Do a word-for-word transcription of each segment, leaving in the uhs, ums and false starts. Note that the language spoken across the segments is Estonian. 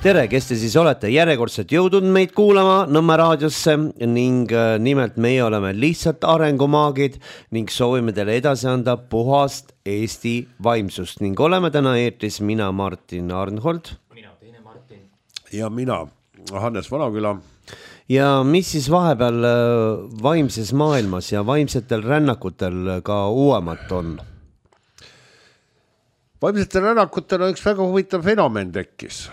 tere, kes te siis olete järjekordselt jõudnud meid kuulama Nõmme raadiosse ning nimelt meie oleme lihtsalt arengumaagid ning soovime teile edasi anda puhast Eesti vaimsust ning oleme täna eetris mina Martin Arnhold. Mina teine Martin. Ja mina Hannes Vanaküla. Ja mis siis vahepeal vaimses maailmas ja vaimsetel rännakutel ka uuemat on? Vaimsetel rännakutel on üks väga huvitav fenomen tekkis.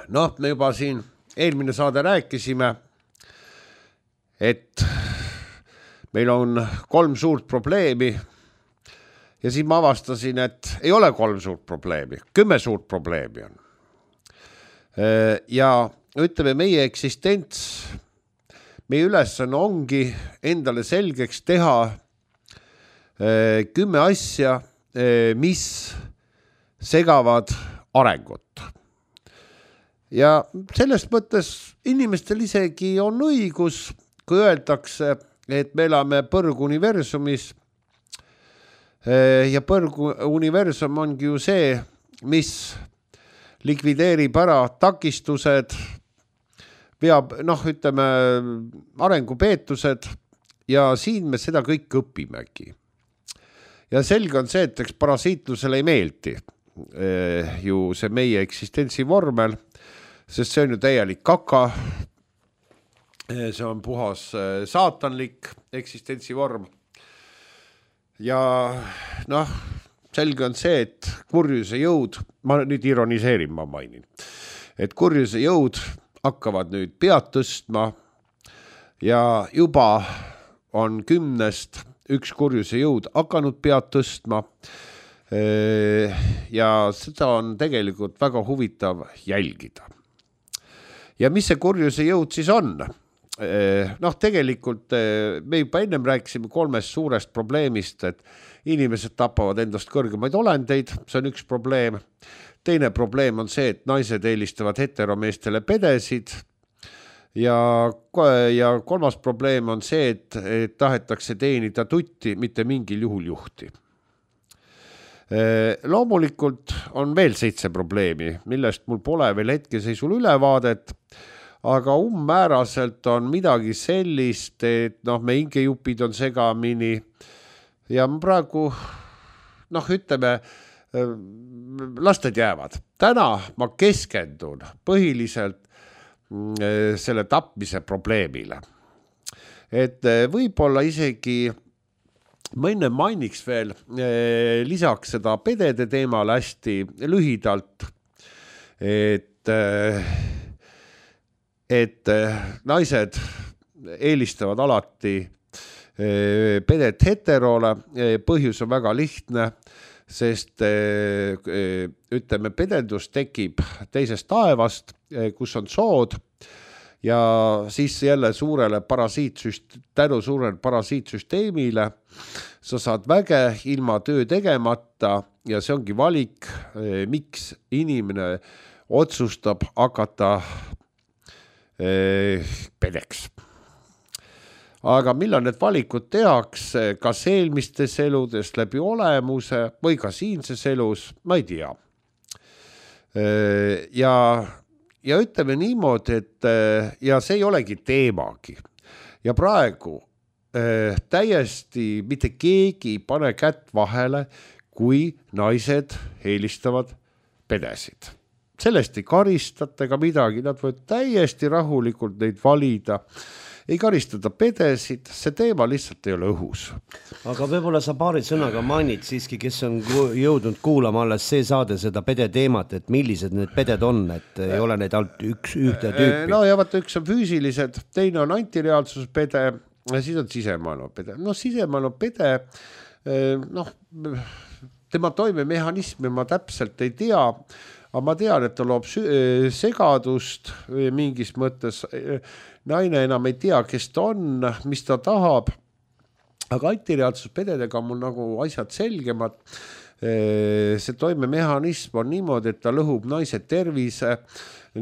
Noh, me juba siin eelmine saade rääkisime, et meil on kolm suurt probleemi ja siis ma avastasin, et ei ole kolm suurt probleemi, kümme suurt probleemi on. Ja ütleme, meie eksistents, meie ülesanne ongi endale selgeks teha kümme asja, mis segavad arengut. Ja selles mõttes inimestel isegi on õigus, kui öeldakse, et me elame põrguniversumis ja põrguniversum ongi ju see, mis likvideerib ära takistused, veab, noh, ütleme, arengupeetused ja siin me seda kõik õpimegi. Ja selge on see, et eks parasiitlusele ei meeldi ju see meie eksistentsi vormel, sest see on ju täielik kaka, see on puhas saatanlik eksistentsi vorm. Ja noh, selge on see, et kurjuse jõud, ma nüüd ironiseerin, ma mainin, et kurjuse jõud hakkavad nüüd pead tõstma ja juba on kümnest üks kurjuse jõud hakanud pead tõstma ja seda on tegelikult väga huvitav jälgida. Ja mis see kurjuse jõud siis on? Noh, tegelikult me juba ennem rääkisime kolmest suurest probleemist, et inimesed tapavad endast kõrgemaid olendeid, see on üks probleem. Teine probleem on see, et naised eelistavad heteromeestele pedesid ja, ja kolmas probleem on see, et, et tahetakse teenida tutti, mitte mingil juhul juhti. Loomulikult on veel seitse probleemi, millest mul pole veel hetkeseisul ülevaadet, aga umbmääraselt on midagi sellist, et noh, me ingejupid on segamini ja praegu, noh, ütleme, lasted jäävad. Täna ma keskendun põhiliselt selle tapmise probleemile. Et võib-olla isegi, ma enne mainiks veel lisaks seda pedede teemale hästi lühidalt, et et naised eelistavad alati pedet heterole, põhjus on väga lihtne, sest ütleme, pedendus tekib teisest taevast, kus on sood ja siis jälle suurele parasiitsüst, tänu suurele parasiitsüsteemile sa saad väge ilma töö tegemata ja see ongi valik, miks inimene otsustab hakata pedeks. Aga millal need valikud tehakse, kas eelmistes eludes läbi olemuse või ka siinses elus, ma ei tea. Ja, ja ütleme niimoodi, et ja see ei olegi teemagi. Ja praegu täiesti mitte keegi pane kätt vahele, kui naised eelistavad pedesid. Sellest ei karistata ega midagi, nad võivad täiesti rahulikult neid valida. Ei karistada pedesid, see teema lihtsalt ei ole õhus. Aga võib-olla sa paari sõnaga mainid siiski, kes on jõudnud kuulama alles see saade seda pede teemat, et millised need peded on, et ei ole need alt üks ühte tüüpi. No ja vaata, üks on füüsilised, teine on antireaalsuspede ja siis on sisemaailma pede. No sisemaailma pede, noh, tema toimemehhanismi ma täpselt ei tea, aga ma tean, et ta loob segadust mingis mõttes. Naine enam ei tea, kes ta on, mis ta tahab. Aga antireaalsuspededega on mul nagu asjad selgemad. See toimemehhanism on niimoodi, et ta lõhub naise tervise,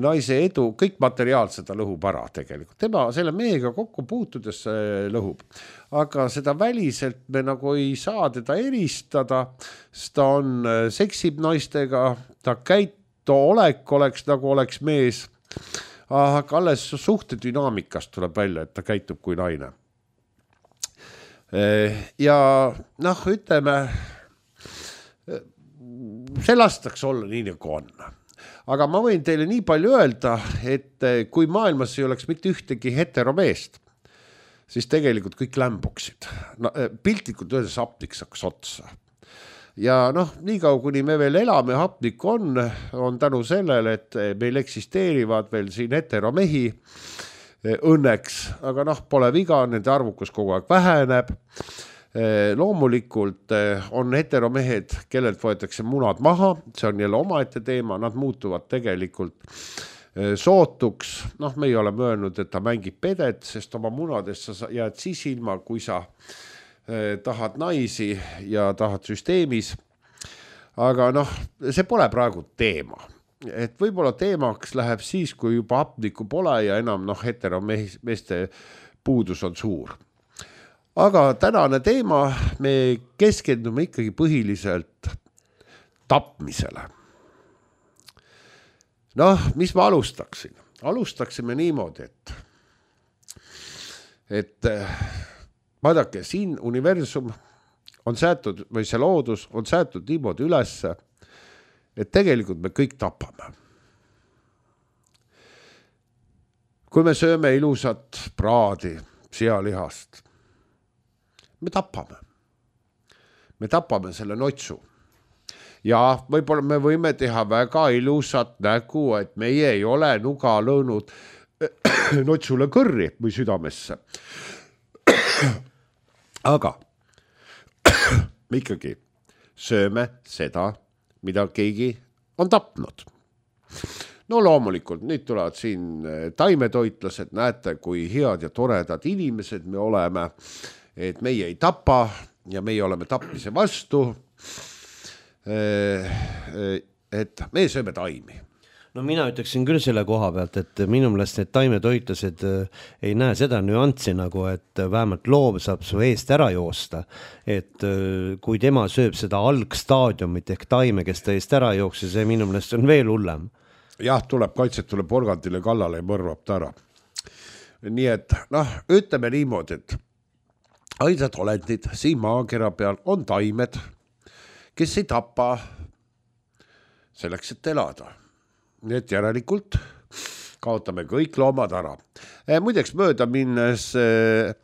naise edu, kõik materiaalsed ta lõhub ära tegelikult. Tema selle mehega kokku puutudes lõhub. Aga seda väliselt me nagu ei saa teda eristada, sest ta on, seksib naistega, ta käitu olek oleks nagu oleks mees, aga alles suhte dünaamikast tuleb välja, et ta käitub kui naine. Ja noh, ütleme, see lastaks olla nii nagu on. Aga ma võin teile nii palju öelda, et kui maailmas ei oleks mitte ühtegi heteromeest, siis tegelikult kõik lämbuksid. No, piltlikult öeldes hapnik saaks otsa. Ja noh, nii kaua kuni me veel elame, hapnik on, on tänu sellele, et meil eksisteerivad veel siin heteromehi õnneks, aga noh, pole viga, nende arvukus kogu aeg väheneb. Loomulikult on heteromehed, kellelt võetakse munad maha, see on jälle omaette teema, nad muutuvad tegelikult sootuks, noh, me ei ole möönud, et ta mängib pedet, sest oma munadest sa jääd siis ilma, kui sa eh, tahad naisi ja tahad süsteemis. Aga noh, see pole praegu teema. Et võib-olla teemaks läheb siis, kui juba hapnikku pole ja enam noh, heteromeeste puudus on suur. Aga tänane teema, me keskendume ikkagi põhiliselt tapmisele. Noh, mis ma alustaksin? Alustaksime niimoodi, et, et vaadake, siin universum on säätud, või see loodus on säätud niimoodi ülesse, et tegelikult me kõik tapame. Kui me sööme ilusat praadi sealihast, me tapame. Me tapame selle notsu. Ja võib-olla me võime teha väga ilusat nägu, et meie ei ole nuga lõõnud notsule kõrri või südamesse. Aga me ikkagi sööme seda, mida keegi on tapnud. No loomulikult, nüüd tulevad siin taimetoitlased, näete, kui head ja toredad inimesed me oleme, et meie ei tapa ja meie oleme tapmise vastu. Et me sööme taimi. No mina ütleksin küll selle koha pealt, et minu meelest need taimetoitlased ei näe seda nüanssi nagu, et vähemalt loom saab su eest ära joosta. Et kui tema sööb seda algstaadiumit ehk taime, kes ta eest ära jookse, see minu meelest on veel hullem. Jah, tuleb kaitset, tuleb organdile kallale ja mõrvab ta ära. Nii et, noh, ütleme niimoodi, et ainsad olendid siin maakera peal on taimed, kes ei tapa selleks, et elada. Nii et järelikult kaotame kõik loomad ära. Eh, muideks mööda minnes, eh,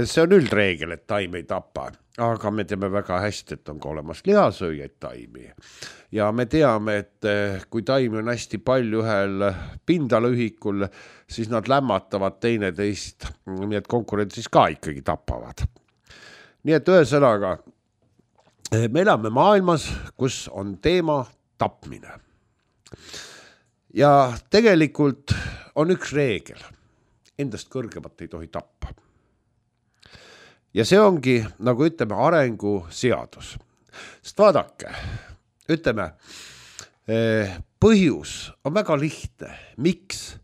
see on üldreegel, et taim ei tapa, aga me teame väga hästi, et on ka olemas lihasööjaid taimi. Ja me teame, et eh, kui taimi on hästi palju ühel pindalühikul, siis nad lämmatavad teineteist, nii et konkurentsis ka ikkagi tapavad. Nii et ühesõnaga, me elame maailmas, kus on teema tapmine. Ja tegelikult on üks reegel. Endast kõrgemat ei tohi tappa. Ja see ongi, nagu ütleme, arengu seadus. Sest vaadake, ütleme, põhjus on väga lihtne. Miks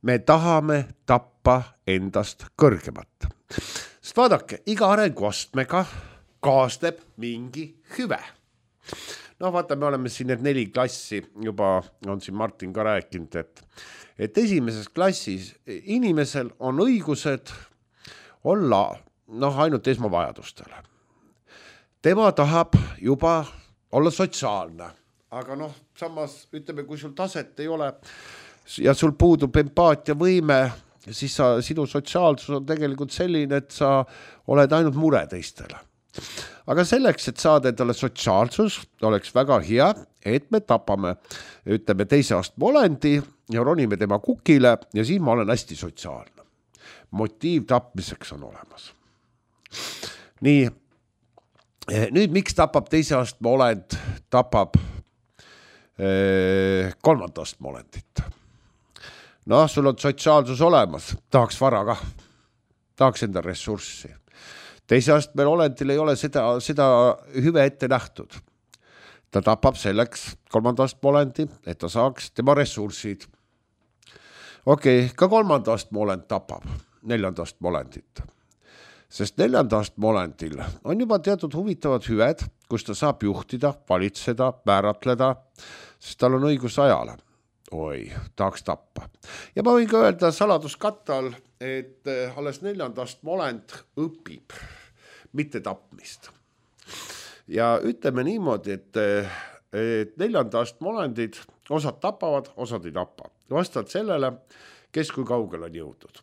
me tahame tappa endast kõrgemat? Sest vaadake, iga arenguastmega kaasneb mingi hüve. No vaata, me oleme siin need neli klassi, juba on siin Martin ka rääkinud, et, et esimeses klassis inimesel on õigused olla noh, ainult esmavajadustele. Tema tahab juba olla sotsiaalne, aga noh, samas ütleme, kui sul taset ei ole ja sul puudub empaatia võime, siis sa, sinu sotsiaalsus on tegelikult selline, et sa oled ainult mure teistele. Aga selleks, et saada endale sotsiaalsus, oleks väga hea, et me tapame, ütleme, teise astme olendi ja ronime tema kukile ja siis ma olen hästi sotsiaalne. Motiiv tapmiseks on olemas. Nii, nüüd miks tapab teise astme olend, tapab eh, kolmanda astme olendit? No, sul on sotsiaalsus olemas, tahaks vara ka, tahaks enda ressurssi. Teise astmel olendil ei ole seda, seda hüve ette nähtud. Ta tapab selleks kolmanda astme olendi, et ta saaks tema ressursid. Okei, okay, ka kolmanda astme olend tapab neljanda astme olendit. Sest neljanda astme olendil on juba teatud huvitavad hüved, kus ta saab juhtida, valitseda, määratleda, sest tal on õigus ajale. Oi, tahaks tappa. Ja ma võin ka öelda saladuskatte all, et alles neljandast olend õpib, mitte tapmist. Ja ütleme niimoodi, et, et neljandast olendid osad tapavad, osad ei tapa. Vastavalt sellele, kes kui kaugel on jõudnud.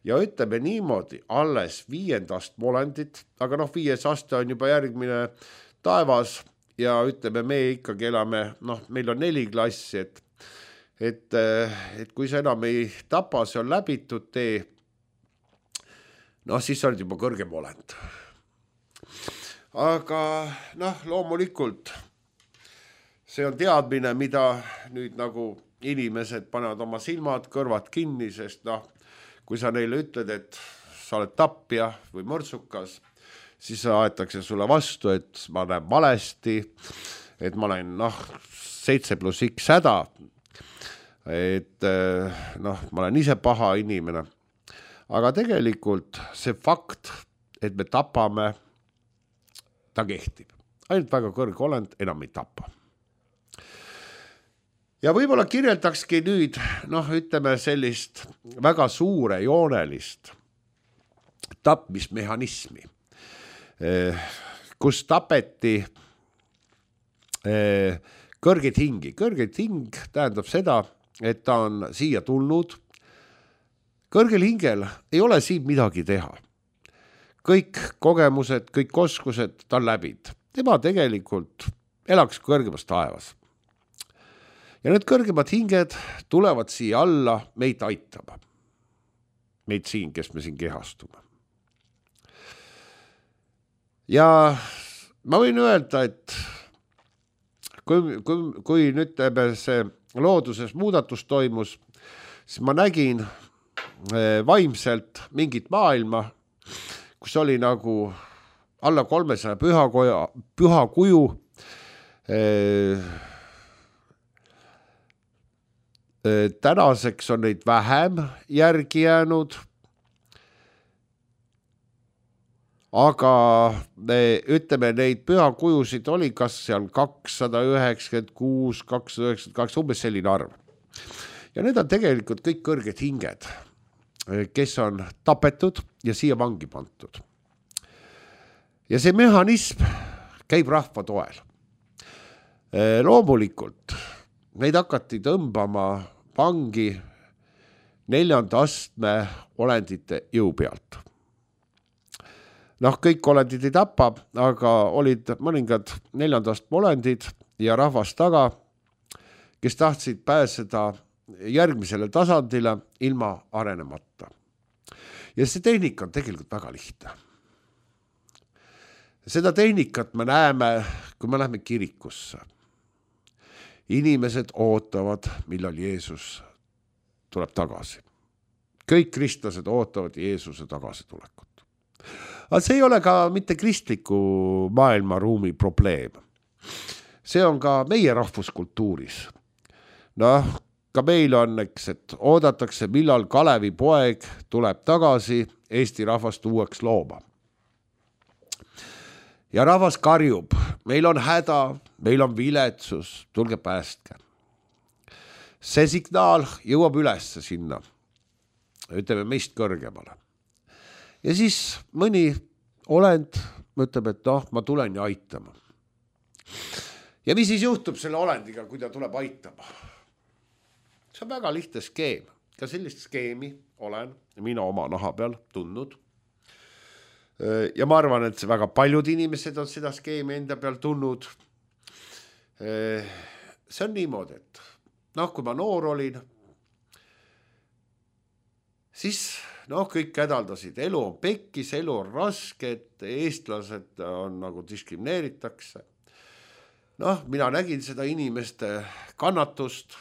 Ja ütleme niimoodi, alles viiendast olendit, aga noh, viies aste on juba järgmine taevas ja ütleme, me ikkagi elame, noh, meil on neli klassi, et, et, et kui sa enam ei tapa, see on läbitud tee, noh, siis sa oled juba kõrgem olend. Aga noh, loomulikult see on teadmine, mida nüüd nagu inimesed panevad oma silmad, kõrvad kinni, sest noh, kui sa neile ütled, et sa oled tapja või mõrtsukas, siis aetakse sulle vastu, et ma näen valesti, et ma olen noh, seitse pluss X häda, et noh, ma olen ise paha inimene. Aga tegelikult see fakt, et me tapame, ta kehtib. Ainult väga kõrge olend enam ei tapa. Ja võib-olla kirjeldakski nüüd, noh, ütleme sellist väga suure joonelist tapmismehhanismi, kus tapeti kõrgeid hingi. Kõrgeid hing tähendab seda, et ta on siia tulnud. Kõrgel hingel ei ole siin midagi teha. Kõik kogemused, kõik oskused ta läbid. Tema tegelikult elaks kõrgemas taevas. Ja need kõrgemad hinged tulevad siia alla meid aitama. Meid siin, kes me siin kehastume. Ja ma võin öelda, et kui, kui, kui nüüd see looduses muudatus toimus, siis ma nägin vaimselt mingit maailma, kus oli nagu alla kolmesaja pühakoja, püha kuju, tänaseks on neid vähem järgi jäänud, aga me, ütleme, neid pühakujusid oli kas seal kakssada üheksakümmend kuus, kakssada üheksakümmend kaks, umbes selline arv. Ja need on tegelikult kõik kõrged hinged, kes on tapetud ja siia vangi pantud. Ja see mehhanism käib rahva toel. Loomulikult neid hakati tõmbama vangi neljanda astme olendite jõu pealt. Noh, kõik olendid ei tapa, aga olid mõningad neljanda astme olendid ja rahvas taga, kes tahtsid pääseda järgmisele tasandile ilma arenemata. Ja see tehnika on tegelikult väga lihtne. Seda tehnikat me näeme, kui me läheme kirikusse. Inimesed ootavad, millal Jeesus tuleb tagasi. Kõik kristlased ootavad Jeesuse tagasitulekut. Aga see ei ole ka mitte kristliku maailmaruumi probleem. See on ka meie rahvuskultuuris. Noh, ka meil on, eks, et oodatakse, millal Kalevi poeg tuleb tagasi Eesti rahvast uueks looma. Ja rahvas karjub, meil on häda, meil on viletsus, tulge päästke. See signaal jõuab üles sinna, ütleme meist kõrgemale. Ja siis mõni olend ütleb, et noh, ma tulen ja aitama. Ja mis siis juhtub selle olendiga, kui ta tuleb aitama? See on väga lihtne skeem. Ka sellist skeemi olen mina oma naha peal tundnud. Ja ma arvan, et väga paljud inimesed on seda skeemi enda peal tulnud. See on niimoodi, et noh, kui ma noor olin, siis noh, kõik hädaldasid. Elu on pekkis, elu on raske, et eestlased on nagu diskrimineeritakse. Noh, mina nägin seda inimeste kannatust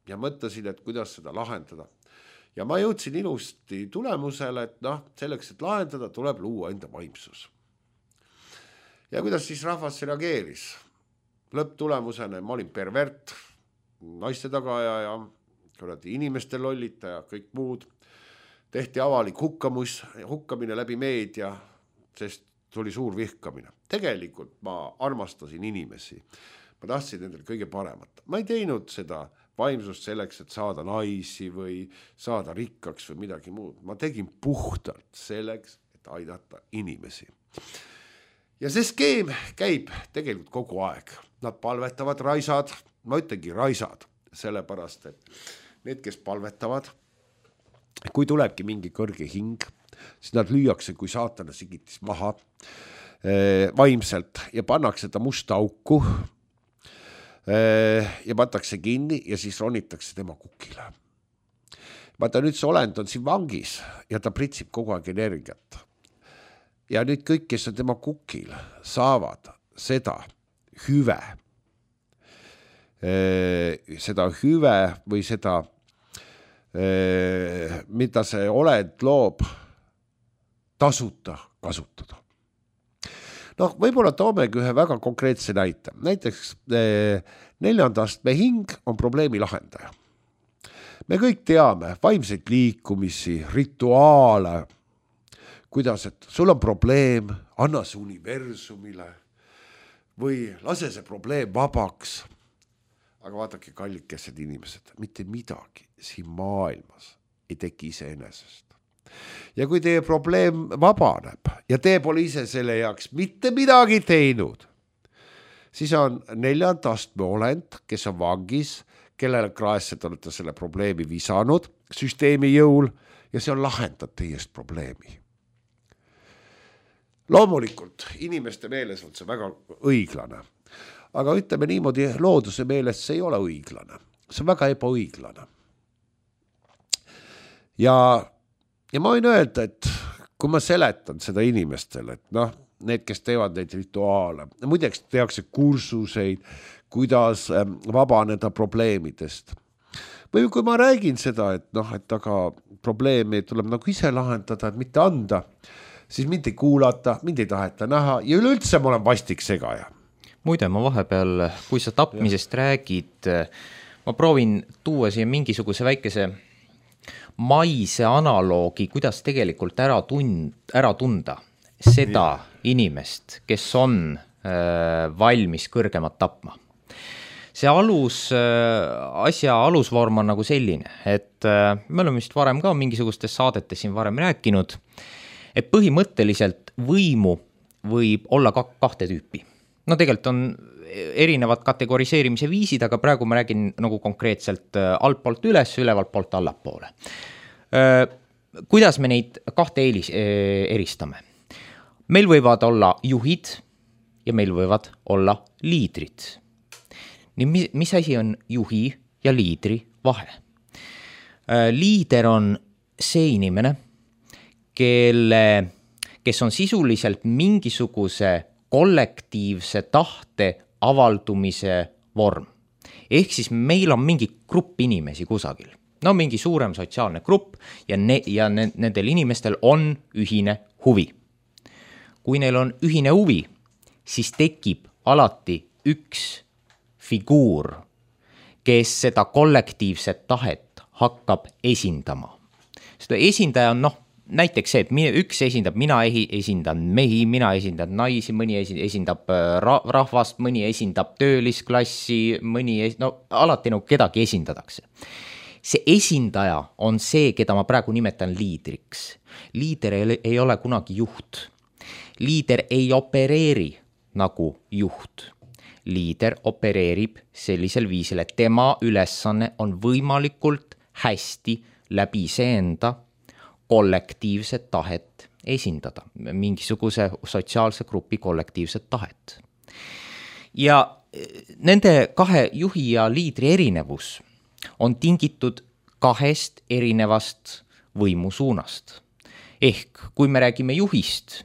ja mõtlesin, et kuidas seda lahendada. Ja ma jõudsin ilusti tulemusele, et noh, selleks, et lahendada, tuleb luua enda vaimsus. Ja kuidas siis rahvas reageeris? Lõpptulemusena ma olin pervert, naiste tagaja ja inimeste lollita ja kõik muud. Tehti avalik hukkamus, hukkamine läbi meedia, sest tuli suur vihkamine. Tegelikult ma armastasin inimesi, ma tahtsin nendel kõige paremat. Ma ei teinud seda vaimsust selleks, et saada naisi või saada rikkaks või midagi muud. Ma tegin puhtalt selleks, et aidata inimesi. Ja see skeem käib tegelikult kogu aeg. Nad palvetavad raisad, ma ütlengi raisad, sellepärast, et need, kes palvetavad, kui tulebki mingi kõrge hing, siis nad lüüakse kui saatana sigitis maha eh, vaimselt ja pannakse ta musta auku eh, ja patakse kinni ja siis ronitakse tema kukile. Vaata nüüd see olend on siin vangis ja ta pritsib kogu aeg energiat. Ja nüüd kõik, kes on tema kukil, saavad seda hüve, eh, seda hüve või seda mida see oled loob tasuta kasutada. Noh, võib-olla toomegi ühe väga konkreetse näite. Näiteks neljandast me hing on probleemi lahendaja. Me kõik teame vaimseid liikumisi, rituaale, kuidas, et sul on probleem, anna see universumile või lase see probleem vabaks. Aga vaadake, kallikesed inimesed, mitte midagi siin maailmas ei teki iseenesest. Ja kui teie probleem vabaneb ja te pole ise selle jaoks mitte midagi teinud, siis on neljanda astme olend, kes on vangis, kellele kraesse te olete selle probleemi visanud süsteemi jõul ja see on lahendanud teie probleemi. Loomulikult inimeste meeles on see väga õiglane. Aga ütleme niimoodi, looduse meelest see ei ole õiglane. See on väga ebaõiglane. Ja, ja ma võin öelda, et kui ma seletan seda inimestele, et noh, need, kes teevad neid rituaale, muideks tehakse kursuseid, kuidas vabaneda probleemidest. Või kui ma räägin seda, et noh, et aga probleemi tuleb nagu ise lahendada, et mitte anda, siis mind ei kuulata, mind ei taheta näha ja üleüldse ma olen vastik segaja. Muide, ma vahepeal, kui sa tapmisest ja. räägid, ma proovin tuua siia mingisuguse väikese maise analoogi, kuidas tegelikult ära, tund, ära tunda seda ja. inimest, kes on äh, valmis kõrgemat tapma. See alus, äh, asja alusvorm on nagu selline, et äh, me oleme vist varem ka mingisugustes saadetes siin varem rääkinud, et põhimõtteliselt võimu võib olla ka kahte tüüpi. No tegelikult on erinevad kategoriseerimise viisid, aga praegu ma räägin nagu konkreetselt altpoolt üles, ülevalt poolt allapoole. Kuidas me neid kahte eelis, eristame? Meil võivad olla juhid ja meil võivad olla liidrid. Nii, mis, mis asi on juhi ja liidri vahe? Liider on see inimene, kelle, kes on sisuliselt mingisuguse kollektiivse tahte avaldumise vorm. Ehk siis meil on mingi grupp inimesi kusagil. No mingi suurem sotsiaalne grupp ja, ne- ja ne- nendel inimestel on ühine huvi. Kui neil on ühine huvi, siis tekib alati üks figuur, kes seda kollektiivset tahet hakkab esindama. Seda esindaja on noh, näiteks see, et üks esindab, mina esindan mehi, mina esindan naisi, mõni esindab rahvast, mõni esindab töölisklassi, mõni, es... no alati no kedagi esindatakse. See esindaja on see, keda ma praegu nimetan liidriks. Liider ei ole kunagi juht. Liider ei opereeri nagu juht. Liider opereerib sellisel viisil, et tema ülesanne on võimalikult hästi läbi seenda kollektiivset tahet esindada, mingisuguse sotsiaalse grupi kollektiivset tahet. Ja nende kahe juhi ja liidri erinevus on tingitud kahest erinevast võimusuunast. Ehk kui me räägime juhist,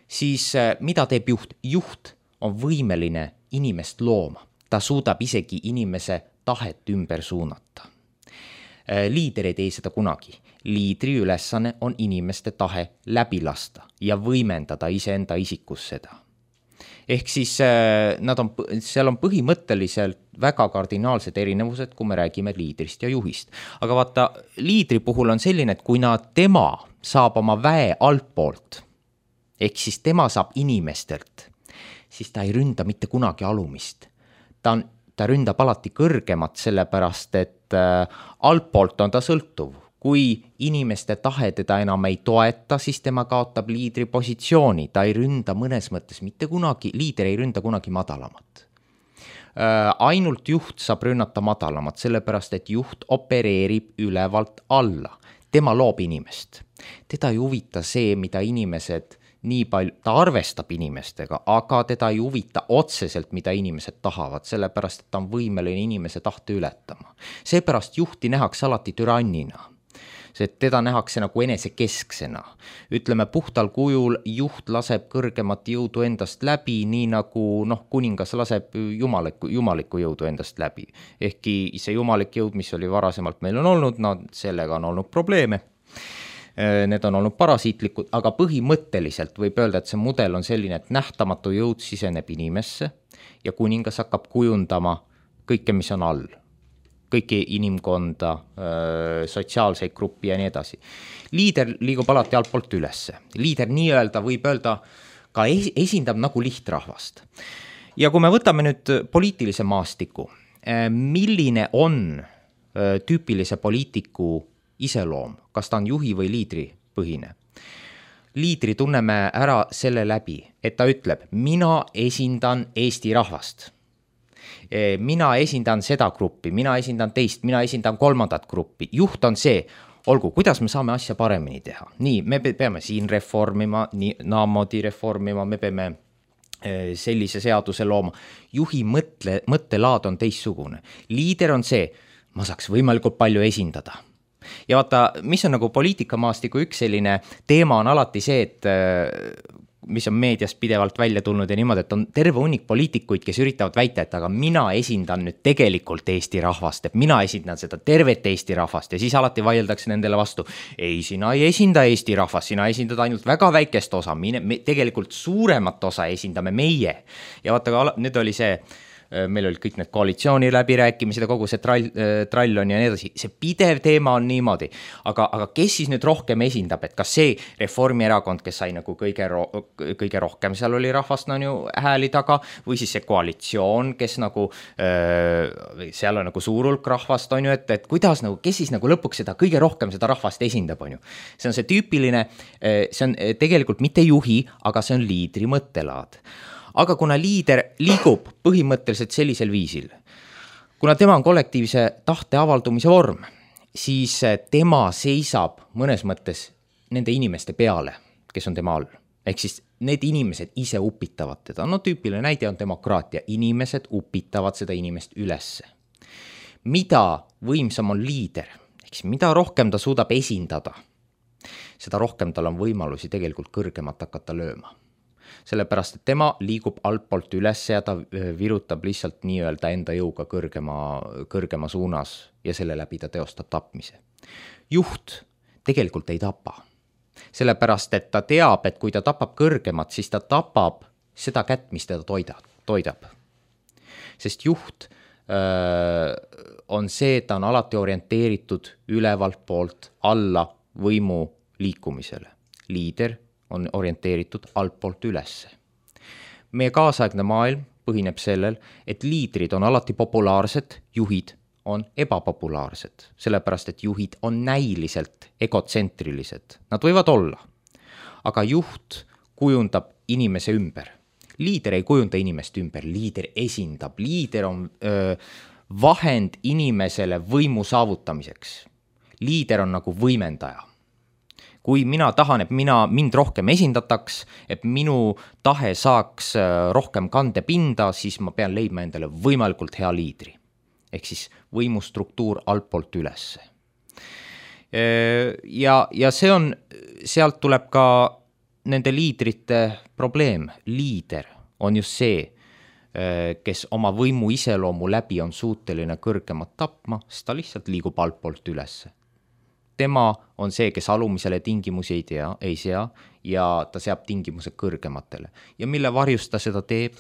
siis mida teeb juht? Juht on võimeline inimest looma. Ta suudab isegi inimese tahet ümber suunata. Liider ei tee seda kunagi. Liidri ülesanne on inimeste tahe läbi lasta ja võimendada iseenda isikus seda. Ehk siis nad on, seal on põhimõtteliselt väga kardinaalsed erinevused, kui me räägime liidrist ja juhist. Aga vaata, liidri puhul on selline, et kui nad tema saab oma väe altpoolt ehk siis tema saab inimestelt, siis ta ei ründa mitte kunagi alumist. Ta, on, ta ründab alati kõrgemat, sellepärast et äh, altpoolt on ta sõltuv. Kui inimeste tahe teda enam ei toeta, siis tema kaotab liidri positsiooni. Ta ei ründa mõnes mõttes mitte kunagi, liider ei ründa kunagi madalamat. Äh, ainult juht saab rünnata madalamat, sellepärast et juht opereerib ülevalt alla. Tema loob inimest. Teda ei huvita see, mida inimesed nii palju, ta arvestab inimestega, aga teda ei huvita otseselt, mida inimesed tahavad, sellepärast, et ta on võimeline inimese tahte ületama. Seepärast juhti nähakse alati türannina. See, teda nähakse nagu enesekesksena. Ütleme, puhtal kujul juht laseb kõrgemat jõudu endast läbi, nii nagu noh, kuningas laseb jumaliku, jumaliku jõudu endast läbi. Ehkki see jumalik jõud, mis oli varasemalt meil on olnud, no sellega on olnud probleeme. Need on olnud parasiitlikud, aga põhimõtteliselt võib öelda, et see mudel on selline, et nähtamatu jõud siseneb inimesse ja kuningas hakkab kujundama kõike, mis on all. Kõiki inimkonda, sotsiaalseid gruppi ja nii edasi. Liider liigub alati altpoolt ülesse. Liider nii-öelda võib öelda ka esindab nagu lihtrahvast. Ja kui me võtame nüüd poliitilise maastiku, milline on tüüpilise poliitiku iseloom, kas ta on juhi või liidri põhine. Liidri tunneme ära selle läbi, et ta ütleb, mina esindan Eesti rahvast. Mina esindan seda gruppi, mina esindan teist, mina esindan kolmandat gruppi. Juht on see, olgu, kuidas me saame asja paremini teha. Nii, me peame siin reformima, nii, naamoodi reformima, me peame sellise seaduse looma. Juhi mõtle, mõttelaad on teistsugune. Liider on see, ma saaks võimalikult palju esindada. Ja vaata, mis on nagu poliitikamaastiku üks selline teema on alati see, et mis on meedias pidevalt välja tulnud ja niimoodi, et on terve hunnik poliitikuid, kes üritavad väita, et aga mina esindan nüüd tegelikult Eesti rahvast, et mina esindan seda tervet Eesti rahvast ja siis alati vaieldakse nendele vastu. Ei, sina ei esinda Eesti rahvast, sina esindad ainult väga väikest osa, mine, me, tegelikult suuremat osa esindame meie. Ja vaata, nüüd oli see meil olid kõik need koalitsiooni läbirääkimised ja kogu see trall, trall on ja nii edasi. See pidev teema on niimoodi. Aga, aga kes siis nüüd rohkem esindab, et kas see Reformierakond, kes sai nagu kõige, ro, kõige rohkem, seal oli rahvast no, hääli taga, või siis see koalitsioon, kes nagu, seal on nagu suur hulk rahvast, on ju, et, et kuidas nagu, kes siis nagu lõpuks seda kõige rohkem seda rahvast esindab, on ju. See on see tüüpiline, see on tegelikult mitte juhi, aga see on liidri mõttelaad. Aga kuna liider liigub põhimõtteliselt sellisel viisil, kuna tema on kollektiivse tahte avaldumise vorm, siis tema seisab mõnes mõttes nende inimeste peale, kes on tema all. Ehk siis need inimesed ise upitavad teda. No tüüpiline näide on demokraatia. Inimesed upitavad seda inimest ülesse. Mida võimsam on liider, ehk siis mida rohkem ta suudab esindada, seda rohkem tal on võimalusi tegelikult kõrgemat hakata lööma. Sellepärast, et tema liigub altpoolt üles ja ta virutab lihtsalt nii-öelda enda jõuga kõrgema, kõrgema suunas ja selle läbi ta teostab tapmise. Juht tegelikult ei tapa. Sellepärast, et ta teab, et kui ta tapab kõrgemat, siis ta tapab seda kätt, mis teda toidab. Sest juht öö, on see, et ta on alati orienteeritud ülevalt poolt alla võimu liikumisele. Liider on orienteeritud altpoolt ülesse. Meie kaasaegne maailm põhineb sellel, et liidrid on alati populaarsed, juhid on ebapopulaarsed, sellepärast, et juhid on näiliselt egotsentrilised. Nad võivad olla, aga juht kujundab inimese ümber. Liider ei kujunda inimest ümber, liider esindab, liider on öö, vahend inimesele võimu saavutamiseks. Liider on nagu võimendaja. Kui mina tahan, et mina, mind rohkem esindataks, et minu tahe saaks rohkem kandepinda, siis ma pean leidma endale võimalikult hea liidri. Ehk siis võimustruktuur altpoolt ülesse. Ja, ja see on, sealt tuleb ka nende liidrite probleem. Liider on just see, kes oma võimu iseloomu läbi on suuteline kõrgemat tapma, sest ta lihtsalt liigub altpoolt ülesse. Tema on see, kes alumisele tingimusi ei tea, ei sea ja ta seab tingimused kõrgematele. Ja mille varjus ta seda teeb?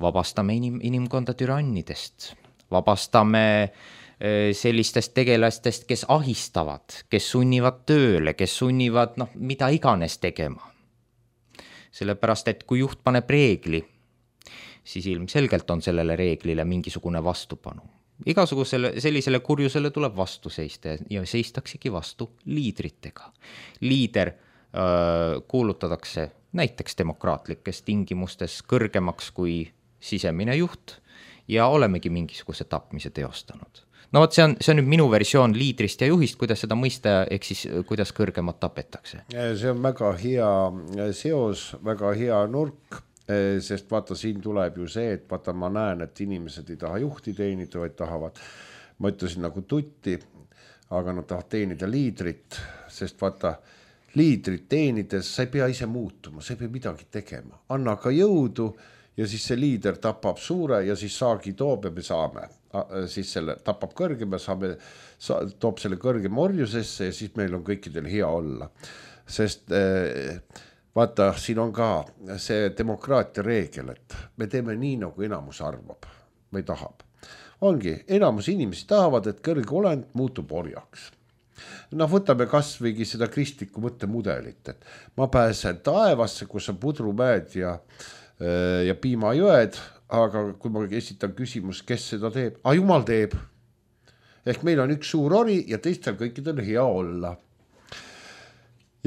Vabastame inim, inimkonda türannidest. Vabastame sellistest tegelastest, kes ahistavad, kes sunnivad tööle, kes sunnivad no, mida iganes tegema. sellepärast, et kui juht paneb reegli, siis ilmselgelt on sellele reeglile mingisugune vastupanu. Igasugusele sellisele kurjusele tuleb vastu seista ja seistaksegi vastu liidritega. Liider öö, kuulutatakse näiteks demokraatlikes tingimustes kõrgemaks kui sisemine juht ja olemegi mingisuguse tapmise teostanud. No võt, see on, see on nüüd minu versioon liidrist ja juhist, kuidas seda mõista, ehk siis kuidas kõrgemat tapetakse. See on väga hea seos, väga hea nurk, sest vaata, siin tuleb ju see, et vaata, ma näen, et inimesed ei taha juhti teenida, vaid tahavad, ma ütlesin nagu tutti, aga nad tahavad teenida liidrit, sest vaata, liidrit teenides sa ei pea ise muutuma, sa ei pea midagi tegema, anna ka jõudu ja siis see liider tapab suure ja siis saagi toob ja me saame. Siis selle tapab kõrgem ja saame, sa, toob selle kõrgem orjusesse ja siis meil on kõikidel hea olla. Sest eh, vaata, siin on ka see demokraatia reegel, et me teeme nii, nagu enamus arvab või tahab. Ongi, enamus inimesi tahavad, et kõrge olend muutub orjaks. Noh, võtame kasvõigi seda kristlikku mõttemudelit, et ma pääsen taevasse, kus on pudrumäed ja, ja piimajõed, aga kui ma esitan küsimus, kes seda teeb? Ah, Jumal teeb. Ehk meil on üks suur ori ja teistel kõikidel hea olla.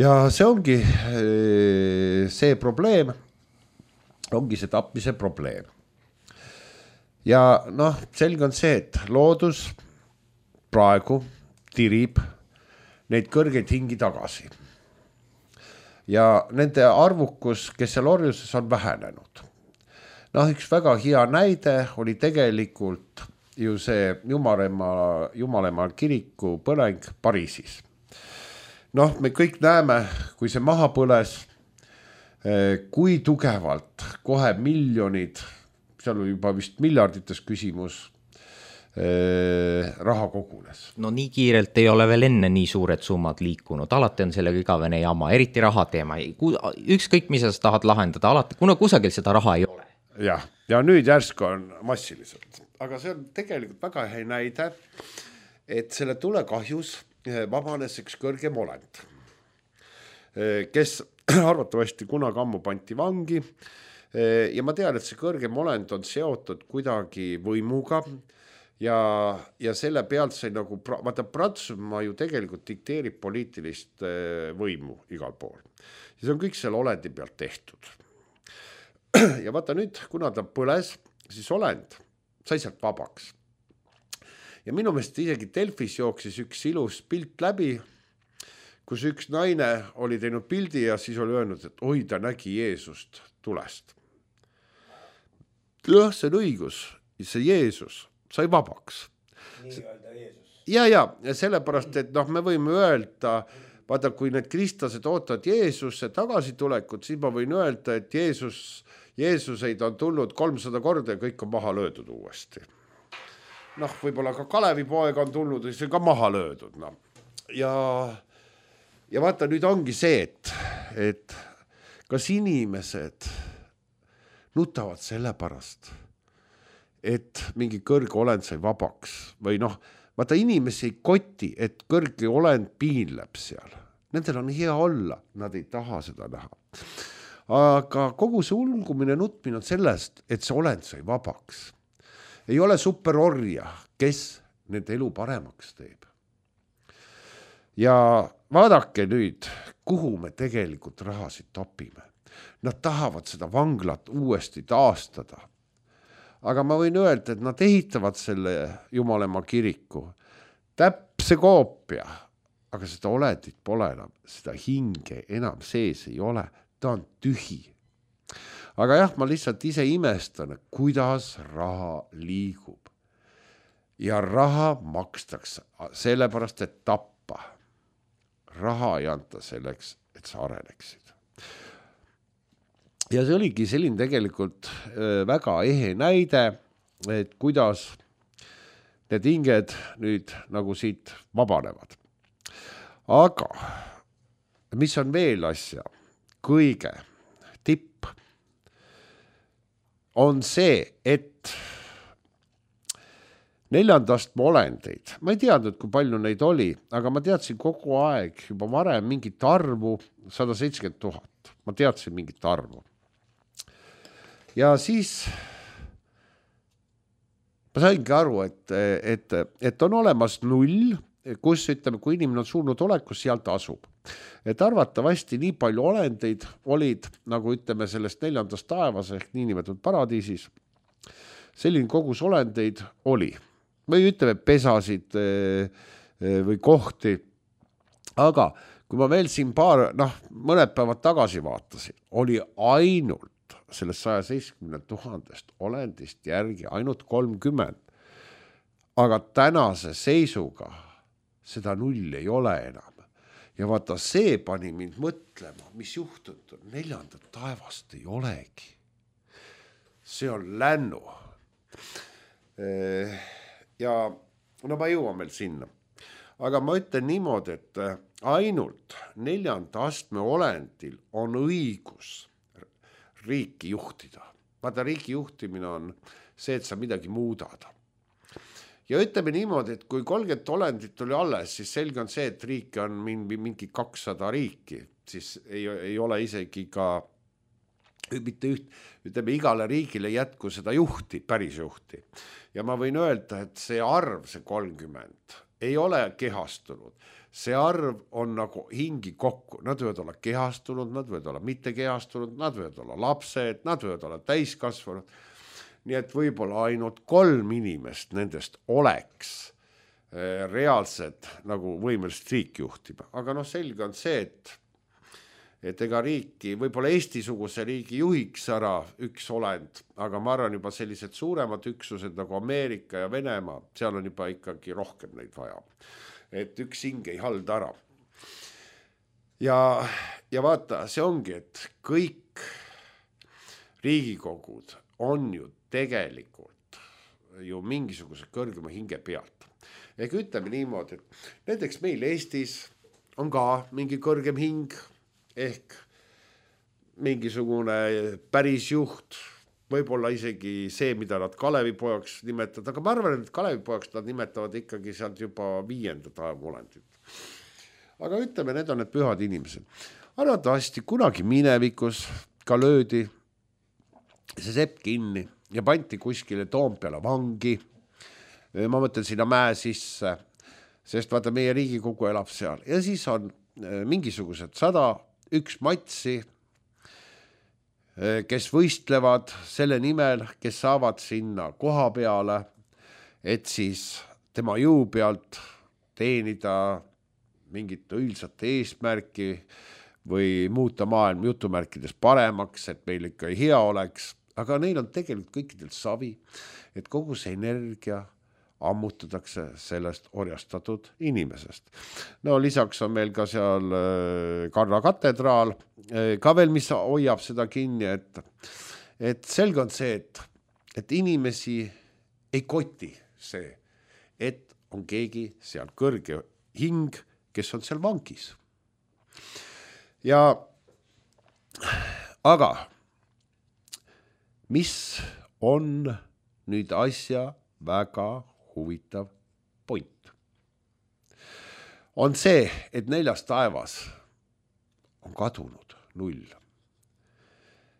Ja see ongi see probleem, ongi see tapmise probleem. Ja noh, selge on see, et loodus praegu tirib neid kõrgeid hingi tagasi. Ja nende arvukus, kes seal orjuses on vähenenud. Noh, üks väga hea näide oli tegelikult ju see Jumalemaa, Jumalemaa kiriku põleng Pariisis. Noh, me kõik näeme, kui see maha põles, kui tugevalt kohe miljonid, seal oli juba vist miljardites küsimus, raha kogunes. No nii kiirelt ei ole veel enne nii suured summad liikunud, alati on sellega igavene jama, eriti raha teema. Ükskõik, mis sa tahad lahendada, alati, kuna kusagil seda raha ei ole. Ja, ja nüüd järsku on massiliselt, aga see on tegelikult väga hea näide, et selle tule kahjus vabanes üks kõrgem olend, kes arvatavasti kunagi ammu panti vangi ja ma tean, et see kõrgem olend on seotud kuidagi võimuga ja, ja selle pealt sai nagu, vaata Prantsusmaa ju tegelikult dikteerib poliitilist võimu igal pool ja see on kõik selle olendi pealt tehtud. Ja vaata nüüd, kuna ta põles, siis olend sai sealt vabaks. Ja minu meelest isegi Delfis jooksis üks ilus pilt läbi, kus üks naine oli teinud pildi ja siis oli öelnud, et oi, ta nägi Jeesust tulest. Jah, see on õigus, see Jeesus sai vabaks. Nii öelda Jeesus. Ja, ja, ja sellepärast, et noh, me võime öelda, vaata, kui need kristlased ootavad Jeesusse tagasitulekut, siis ma võin öelda, et Jeesus Jeesuseid on tulnud kolmsada korda ja kõik on maha löödud uuesti. Noh, võib-olla ka Kalevi poeg on tulnud ja see on ka maha löödud. No. Ja, ja vaata, nüüd ongi see, et, et kas inimesed nutavad selle pärast, et mingi kõrge olend sai vabaks või noh, vaata inimesi ei koti, et kõrge olend piinleb seal. Nendel on hea olla, nad ei taha seda näha. Aga kogu see ulgumine nutmine on sellest, et see olend sai vabaks. Ei ole superorja, kes nende elu paremaks teeb. Ja vaadake nüüd, kuhu me tegelikult rahasid topime. Nad tahavad seda vanglat uuesti taastada. Aga ma võin öelda, et nad ehitavad selle Jumalemaa kiriku. Täpse koopia, aga seda olendit pole enam, seda hinge enam sees ei ole. Ta on tühi. Aga jah, ma lihtsalt ise imestan, kuidas raha liigub. Ja raha makstakse sellepärast, et tappa. Raha ei anta selleks, et sa areneksid. Ja see oligi selline tegelikult väga ehe näide, et kuidas need hinged nüüd nagu siit vabanevad. Aga mis on veel asja? Kõige tipp on see, et neljandast olendeid. Ma ei teadnud, kui palju neid oli, aga ma teadsin kogu aeg juba varem mingit arvu sada seitsekümmend tuhat. Ma teadsin mingit arvu. Ja siis ma saingi aru, et, et, et on olemas null, kus ütleme, kui inimene on surnud olekus, sealt asub. Et arvatavasti nii palju olendeid olid, nagu ütleme sellest neljandast taevas ehk niinimetatud paradiisis, selline kogus olendeid oli. Või ütleme pesasid või kohti. Aga kui ma veel siin paar, noh, mõned päevad tagasi vaatasin, oli ainult sellest saja seitsekümmend tuhandest olendist järgi ainult kolmkümmend. Aga tänase seisuga seda null ei ole enam. Ja vaata, see pani mind mõtlema, mis juhtud, neljandat taevast ei olegi. See on lännu. Ja no ma jõuan veel sinna. Aga ma ütlen niimoodi, et ainult neljanda astme olendil on õigus riiki juhtida. Vaata, riiki juhtimine on see, et sa midagi muudad. Ja ütleme niimoodi, et kui kolmkümmend olendit oli alles, siis selge on see, et riiki on mingi, mingi kakssada riiki, siis ei, ei ole isegi ka mitte üht, ütleme, igale riigile jätku seda juhti, päris juhti. Ja ma võin öelda, et see arv, see kolmkümmend, ei ole kehastunud. See arv on nagu hingi kokku. Nad võivad olla kehastunud, nad võivad olla mitte kehastunud, nad võivad olla lapsed, nad võivad olla täiskasvanud. Nii et võib-olla ainult kolm inimest nendest oleks reaalsed nagu võimelist riik juhtima. Aga noh, selge on see, et, et ega riiki, võib-olla Eesti-suguse riigi juhiks ära üks olend, aga ma arvan juba sellised suuremad üksused nagu Ameerika ja Venemaa, seal on juba ikkagi rohkem neid vaja. Et üks hing ei halda ära. Ja, ja vaata, see ongi, et kõik riigikogud on ju tegelikult ju mingisuguse kõrgema hinge pealt. Ehk ütleme niimoodi, et näiteks meil Eestis on ka mingi kõrgem hing, ehk mingisugune päris juht, võib-olla isegi see, mida nad Kalevipojaks nimetavad, aga ma arvan, et Kalevipojaks nad nimetavad ikkagi sealt juba viienda taevaolendit. Aga ütleme, need on need pühad inimesed. Arvatavasti kunagi minevikus ka löödi see sepp kinni ja panti kuskile Toompeale vangi. Ma mõtlen sinna mäe sisse, sest vaata, meie Riigikogu elab seal. Ja siis on mingisugused sada üks matsi, kes võistlevad selle nimel, kes saavad sinna koha peale, et siis tema jõu pealt teenida mingit õilsat eesmärki või muuta maailm jutumärkides paremaks, et meil ikka hea oleks. Aga neil on tegelikult kõikidel savi, et kogu see energia ammutatakse sellest orjastatud inimesest. No lisaks on meil ka seal Karla katedraal, ka veel, mis hoiab seda kinni, et, et selge on see, et, et inimesi ei koti see, et on keegi seal kõrge hing, kes on seal vangis. Ja aga mis on nüüd asja väga huvitav point? On see, et neljas taevas on kadunud null.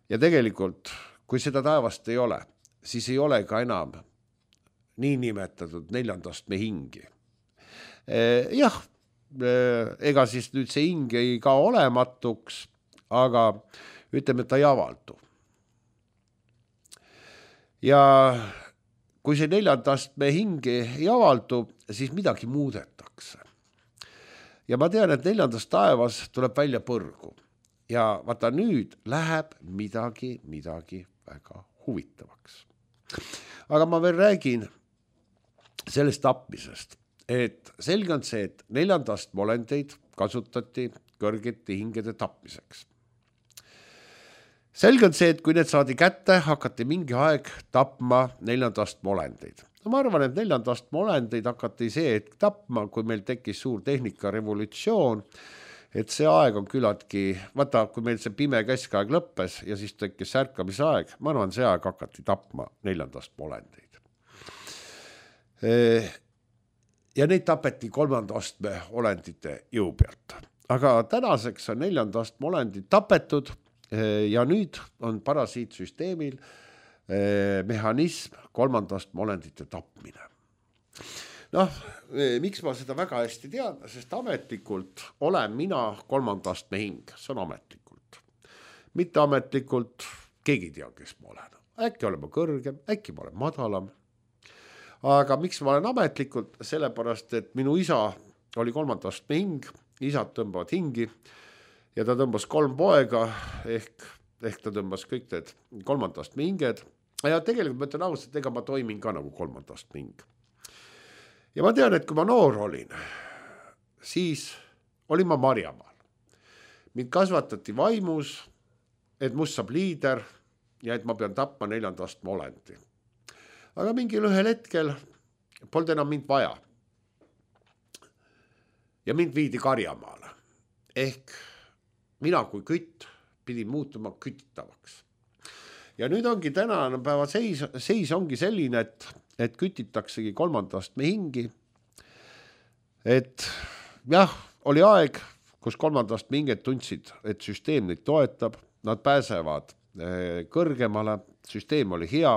Ja tegelikult, kui seda taevast ei ole, siis ei ole ka enam nii nimetatud neljandast me hingi. Jah, ega siis nüüd see hing ei ka olematuks, aga ütleme, et ta ei avaldu. Ja kui see neljandast me hingi ei avaldu, siis midagi muudetakse. Ja ma tean, et neljandast taevas tuleb välja põrgu. Ja vaata, nüüd läheb midagi, midagi väga huvitavaks. Aga ma veel räägin sellest tapmisest, et selge on see, et neljandast molendeid kasutati kõrgete hingede tapmiseks. Selge on see, et kui need saadi kätte, hakati mingi aeg tapma neljandast molendeid. Ma arvan, et neljandast molendeid hakati see, et tapma, kui meil tekkis suur tehnikarevolutsioon, et see aeg on küllaltki, vaata, kui meil see pime keskaeg lõppes ja siis tekkis ärkamise aeg, ma arvan, see aeg hakati tapma neljandast molendeid. ja neid tapeti kolmanda astme olendite jõu pealt. Aga tänaseks on neljanda astme olendid tapetud ja nüüd on parasiitsüsteemil mehhanism kolmanda astme olendite tapmine. Noh, miks ma seda väga hästi tean, sest ametlikult olen mina kolmanda astme hing, see on ametlikult. Mitte ametlikult, keegi ei tea, kes ma olen. Äkki olen ma kõrgem, äkki ma olen madalam. Aga miks ma olen ametlikult? Sellepärast, et minu isa oli kolmanda astme hing, isad tõmbavad hingi ja ta tõmbas kolm poega ehk, ehk ta tõmbas kõik need kolmanda astme hinged. Ja tegelikult ma ütlen ausalt, ega ma toimin ka nagu kolmanda astme hing. Ja ma tean, et kui ma noor olin, siis olin ma Marjamaal. Mind kasvatati vaimus, et must saab liider ja et ma pean tapma neljanda astme olendi. Aga mingil ühel hetkel polnud enam mind vaja. Ja mind viidi Karjamaale. Ehk mina kui kütt pidin muutuma küttitavaks. Ja nüüd ongi tänane päeva seis, seis ongi selline, et, et kütitaksegi kolmanda astme hingi. Et jah, oli aeg, kus kolmanda astme hinged tundsid, et süsteem neid toetab, nad pääsevad kõrgemale, süsteem oli hea.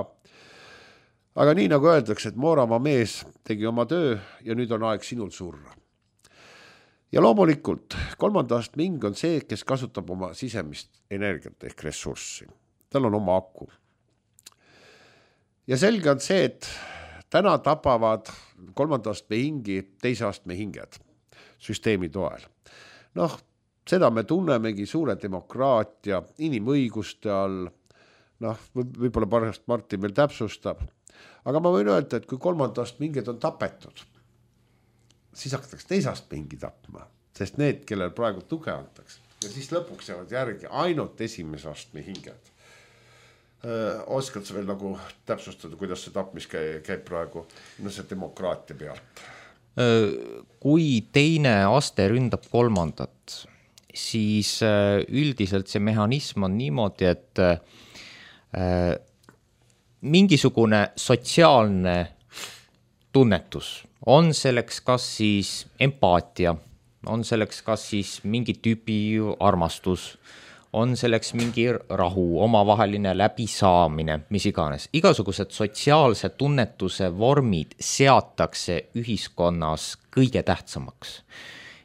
Aga nii nagu öeldakse, et Mooramaa mees tegi oma töö ja nüüd on aeg sinul surra. Ja loomulikult kolmanda astme hing on see, kes kasutab oma sisemist energiat ehk ressurssi. Tal on oma aku. Ja selge on see, et täna tapavad kolmanda astme hingi teise astme hinged süsteemi toel. Noh, seda me tunnemegi suure demokraatia, inimõiguste all. Noh, võib-olla pärast Martin veel täpsustab. Aga ma võin öelda, et kui kolmanda astme hinged on tapetud, siis hakatakse teise astme hingi tapma, sest need, kellel praegu tuge antakse. Ja siis lõpuks jäävad järgi ainult esimese astme hinged. Öö, oskad sa veel nagu täpsustada, kuidas see tapmis käib praegu no see demokraatia pealt? Kui teine aste ründab kolmandat, siis üldiselt see mehhanism on niimoodi, et mingisugune sotsiaalne tunnetus on selleks kas siis empaatia, on selleks kas siis mingi tüüpi armastus, on selleks mingi rahu, omavaheline läbisaamine, mis iganes. Igasugused sotsiaalse tunnetuse vormid seatakse ühiskonnas kõige tähtsamaks.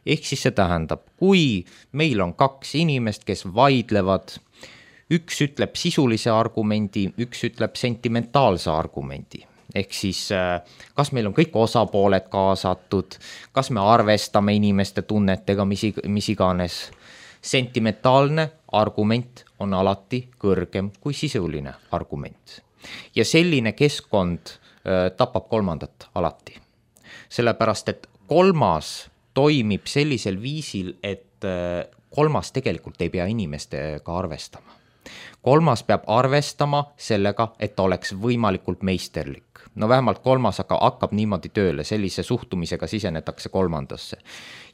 Ehk siis see tähendab, kui meil on kaks inimest, kes vaidlevad, üks ütleb sisulise argumendi, üks ütleb sentimentaalse argumendi. Ehk siis, kas meil on kõik osapooled kaasatud, kas me arvestame inimeste tunnetega, mis, mis iganes. Sentimentaalne argument on alati kõrgem kui sisuline argument. Ja selline keskkond äh, tapab kolmandat alati. Sellepärast, et kolmas toimib sellisel viisil, et äh, kolmas tegelikult ei pea inimestega arvestama. Kolmas peab arvestama sellega, et oleks võimalikult meisterlik. No vähemalt kolmas aga hakkab niimoodi tööle, sellise suhtumisega sisenetakse kolmandasse.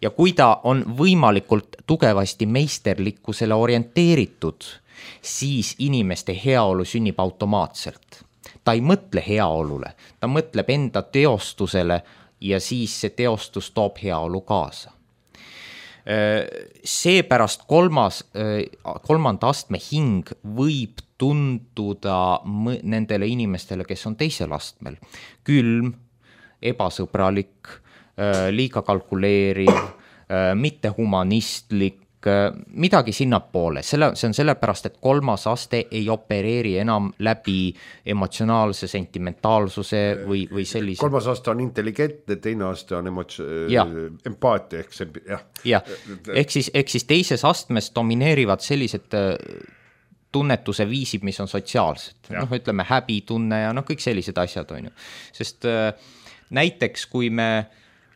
Ja kui ta on võimalikult tugevasti meisterlikkusele orienteeritud, siis inimeste heaolu sünnib automaatselt. Ta ei mõtle heaolule, ta mõtleb enda teostusele ja siis see teostus toob heaolu kaasa. Seepärast kolmas, kolmanda astme hing võib tunduda nendele inimestele, kes on teisel astmel. Külm, ebasõbralik, liiga kalkuleeriv, mitte humanistlik, midagi sinnapoole. Selle, see on sellepärast, et kolmas aste ei opereeri enam läbi emotsionaalse sentimentaalsuse või, või sellise. Kolmas aste on intelligentne, teine aste on emotsi... empaatia. Ehk, see, jah. Ja. Ehk, siis, ehk siis teises astmes domineerivad sellised tunnetuse viisid, mis on sotsiaalsed. Noh, ütleme häbitunne ja noh, kõik sellised asjad on ju. Sest äh, näiteks, kui me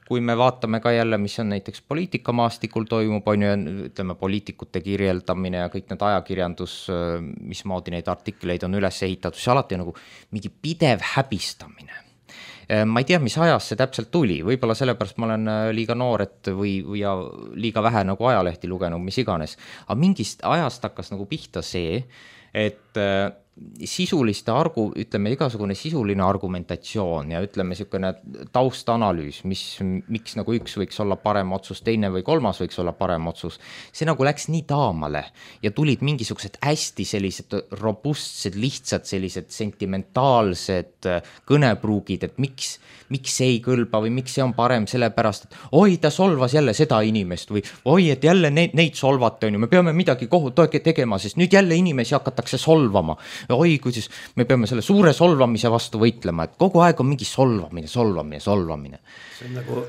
Kui me vaatame ka jälle, mis on näiteks poliitikamaastikul toimub, on ju, ütleme, poliitikute kirjeldamine ja kõik need ajakirjandus, mismoodi neid artikleid on üles ehitatud, see alati on nagu mingi pidev häbistamine. Ma ei tea, mis ajas see täpselt tuli, võib-olla sellepärast ma olen liiga noor, et või, või ja liiga vähe nagu ajalehti lugenud, mis iganes. Aga mingist ajast hakkas nagu pihta see, et sisuliste argu, ütleme igasugune sisuline argumentatsioon ja ütleme niisugune taustanalüüs, mis, miks nagu üks võiks olla parem otsus, teine või kolmas võiks olla parem otsus, see nagu läks nii taamale ja tulid mingisugused hästi sellised robustsed, lihtsad sellised sentimentaalsed kõnepruugid, et miks, miks see ei kõlba või miks see on parem, sellepärast, et oi, ta solvas jälle seda inimest või oi, et jälle neid, neid solvata on ju, me peame midagi kohut tegema, sest nüüd jälle inimesi hakatakse solvama. Oi, kuidas me peame selle suure solvamise vastu võitlema, et kogu aeg on mingi solvamine, solvamine, solvamine. See on nagu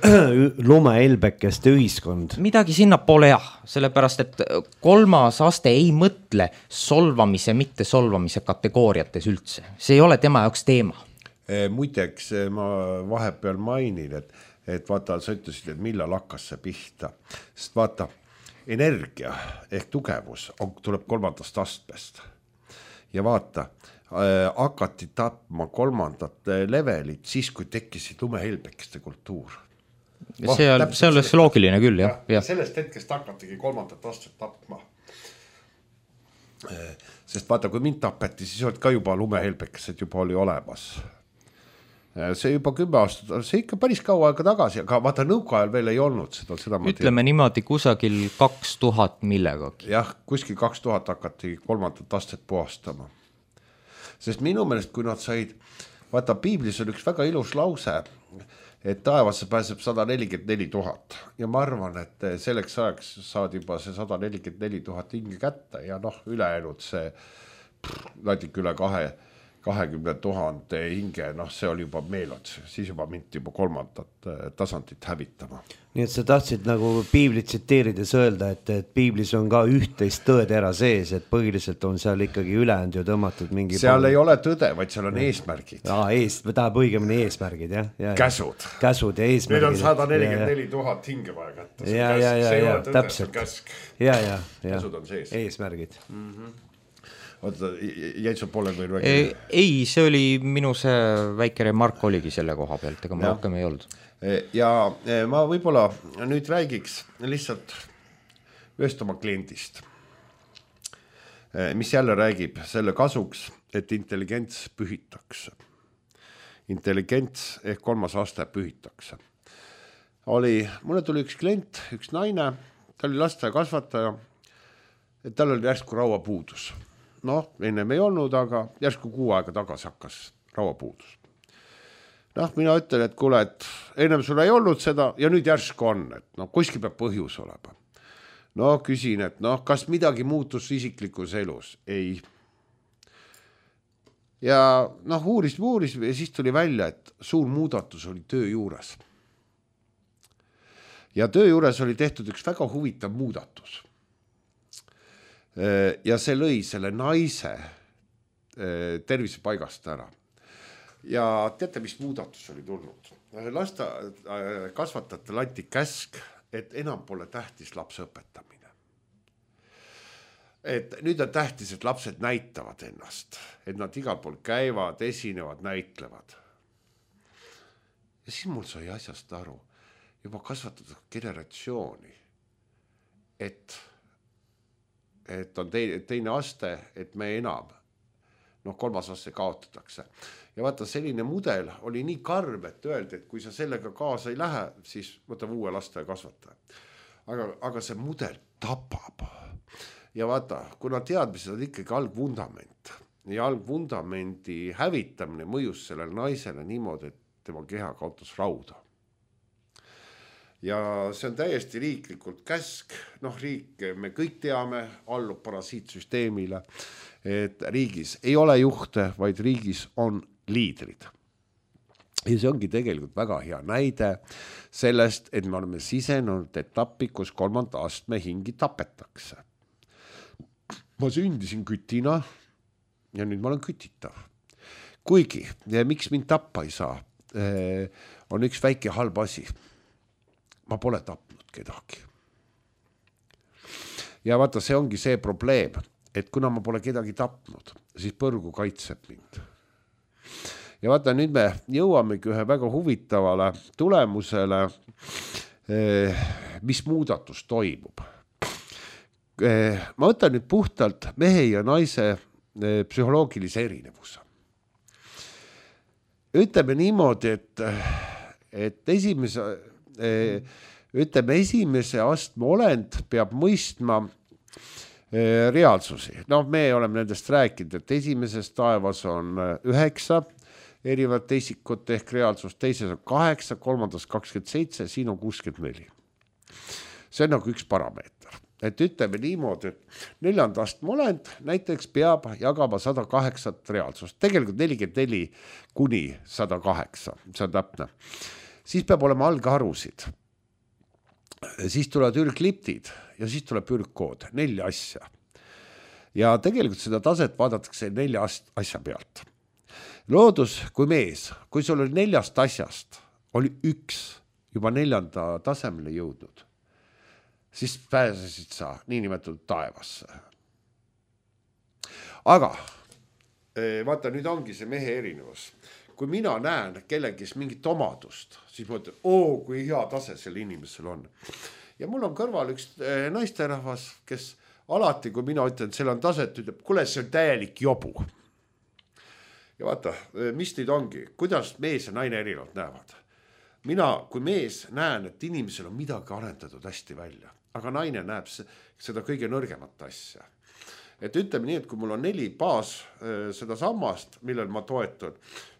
lumehelbekeste ühiskond. Midagi sinnapoole jah, sellepärast, et kolmas aste ei mõtle solvamise, mitte solvamise kategooriates üldse. See ei ole tema jaoks teema. Muideks ma vahepeal mainin, et, et vaata, sa ütlesid, et millal hakkas see pihta. Sest vaata, energia ehk tugevus on, tuleb kolmandast astmest. Ja vaata, äh, hakati tapma kolmandat levelit siis, kui tekkisid lumehelbekeste kultuur. Oh, see on, see on loogiline küll, jah. Ja, ja sellest hetkest hakatigi kolmandat astet tapma. Sest vaata, kui mind tapeti, siis olid ka juba lumehelbekesed juba oli olemas. See juba kümme aastat, see ikka päris kaua aega tagasi, aga vaata nõukaajal veel ei olnud seda. seda Ütleme tean. Niimoodi kusagil kaks tuhat millegagi. Jah, kuskil kaks tuhat hakati kolmandat astet puhastama. Sest minu meelest, kui nad said, vaata piiblis on üks väga ilus lause, et taevasse pääseb sada nelikümmend neli tuhat. Ja ma arvan, et selleks ajaks saad juba see sada nelikümmend neli tuhat hinge kätte ja noh, ülejäänud see natik üle kahe kahekümne tuhande hinge, noh see oli juba meelod, siis juba minti juba kolmandat tasandit hävitama. Nii et sa tahtsid nagu piiblit tsiteerides öelda, et, et piiblis on ka üht-teist tõetera sees, et põhiliselt on seal ikkagi ülejäänud ju tõmmatud mingi... Seal pool... ei ole tõde, vaid seal on eesmärgid. Aa, ees, tahab õigemini eesmärgid, jah. Ja, käsud. Käsud ja eesmärgid. Meil on sada nelikümmend neli tuhat hinge vaja kätte. Ja, ja, ja, ja, täpselt. Ja, ja, ja. Käsud on sees. Eesmärgid. Mhm. Oota, jäid sul poole veel väike? Ei, see oli minu see väike remark oligi selle koha pealt, ega ma rohkem ei olnud. Ja ma võib-olla nüüd räägiks lihtsalt ühest oma kliendist, mis jälle räägib selle kasuks, et intelligents pühitakse. Intelligents ehk kolmas aste pühitakse. Oli, mulle tuli üks klient, üks naine, ta oli lasteaia kasvataja, et tal oli järsku rauapuudus. Noh, ennem ei olnud, aga järsku kuu aega tagasi hakkas rauapuudus. Noh, mina ütlen, et kuule, et ennem sul ei olnud seda ja nüüd järsku on, et noh, kuskil peab põhjus olema. No küsin, et noh, kas midagi muutus isiklikus elus? Ei. Ja noh, uuris, uuris ja siis tuli välja, et suur muudatus oli töö juures. Ja töö juures oli tehtud üks väga huvitav muudatus. Ja see lõi selle naise tervise paigast ära. Ja teate, mis muudatus oli tulnud? Lasta kasvatajatel anti käsk, et enam pole tähtis lapse õpetamine. Et nüüd on tähtis, et lapsed näitavad ennast, et nad igal pool käivad, esinevad, näitlevad. Ja siis mul sai asjast aru, juba kasvatada generatsiooni, et et on teine, teine aste, et me enam, noh kolmas aste kaotatakse. Ja vaata, selline mudel oli nii karm, et öeldi, et kui sa sellega kaasa ei lähe, siis võtab uue lasteaia kasvataja. Aga, aga see mudel tapab. Ja vaata, kuna teadmised on ikkagi algvundament ja algvundamendi hävitamine mõjus sellele naisele niimoodi, et tema keha kaotas rauda. Ja see on täiesti riiklikult käsk, noh riik, me kõik teame, allub parasiitsüsteemile, et riigis ei ole juhte, vaid riigis on liidrid. Ja see ongi tegelikult väga hea näide sellest, et me oleme sisenenud etappi, kus kolmanda astme hingi tapetakse. Ma sündisin kütina ja nüüd ma olen kütitav. Kuigi, ja miks mind tappa ei saa, on üks väike halb asi. Ma pole tapnud kedagi. Ja vaata, see ongi see probleem, et kuna ma pole kedagi tapnud, siis põrgu kaitseb mind. Ja vaata, nüüd me jõuamegi ühe väga huvitavale tulemusele, mis muudatus toimub. Ma võtan nüüd puhtalt mehe ja naise psühholoogilise erinevuse. Ütleme niimoodi, et, et esimese, ütleme, esimese astme olend peab mõistma reaalsusi. No me oleme nendest rääkinud, et esimeses taevas on üheksa erinevat isikut ehk reaalsust, teises on kaheksa, kolmandas kakskümmend seitse, siin on kuuskümmend neli. See on nagu üks parameeter. Et ütleme niimoodi, et neljanda astme olend näiteks peab jagama sada kaheksa reaalsust. Tegelikult nelikümmend neli kuni sada kaheksa, see on täpne. Siis peab olema algharusid. Siis tulevad ürgliptid ja siis tuleb ürgkood, nelja asja. Ja tegelikult seda taset vaadatakse nelja asja pealt. Loodus kui mees, kui sul oli neljast asjast, oli üks juba neljanda tasemele jõudnud, siis pääsesid sa niinimetatud taevasse. Aga vaata, nüüd ongi see mehe erinevus. Kui mina näen kellegis mingit omadust, siis ma ütlen, oo, kui hea tase sel inimesel on. Ja mul on kõrval üks naisterahvas, kes alati, kui mina ütlen, et seal on taset, ütleb, kuule, see on täielik jobu. Ja vaata, mis nüüd ongi, kuidas mees ja naine erinevalt näevad. Mina, kui mees näen, et inimesel on midagi arendatud hästi välja, aga naine näeb seda kõige nõrgemat asja. Et ütleme nii, et kui mul on neli baas seda sammast, millel ma toetun,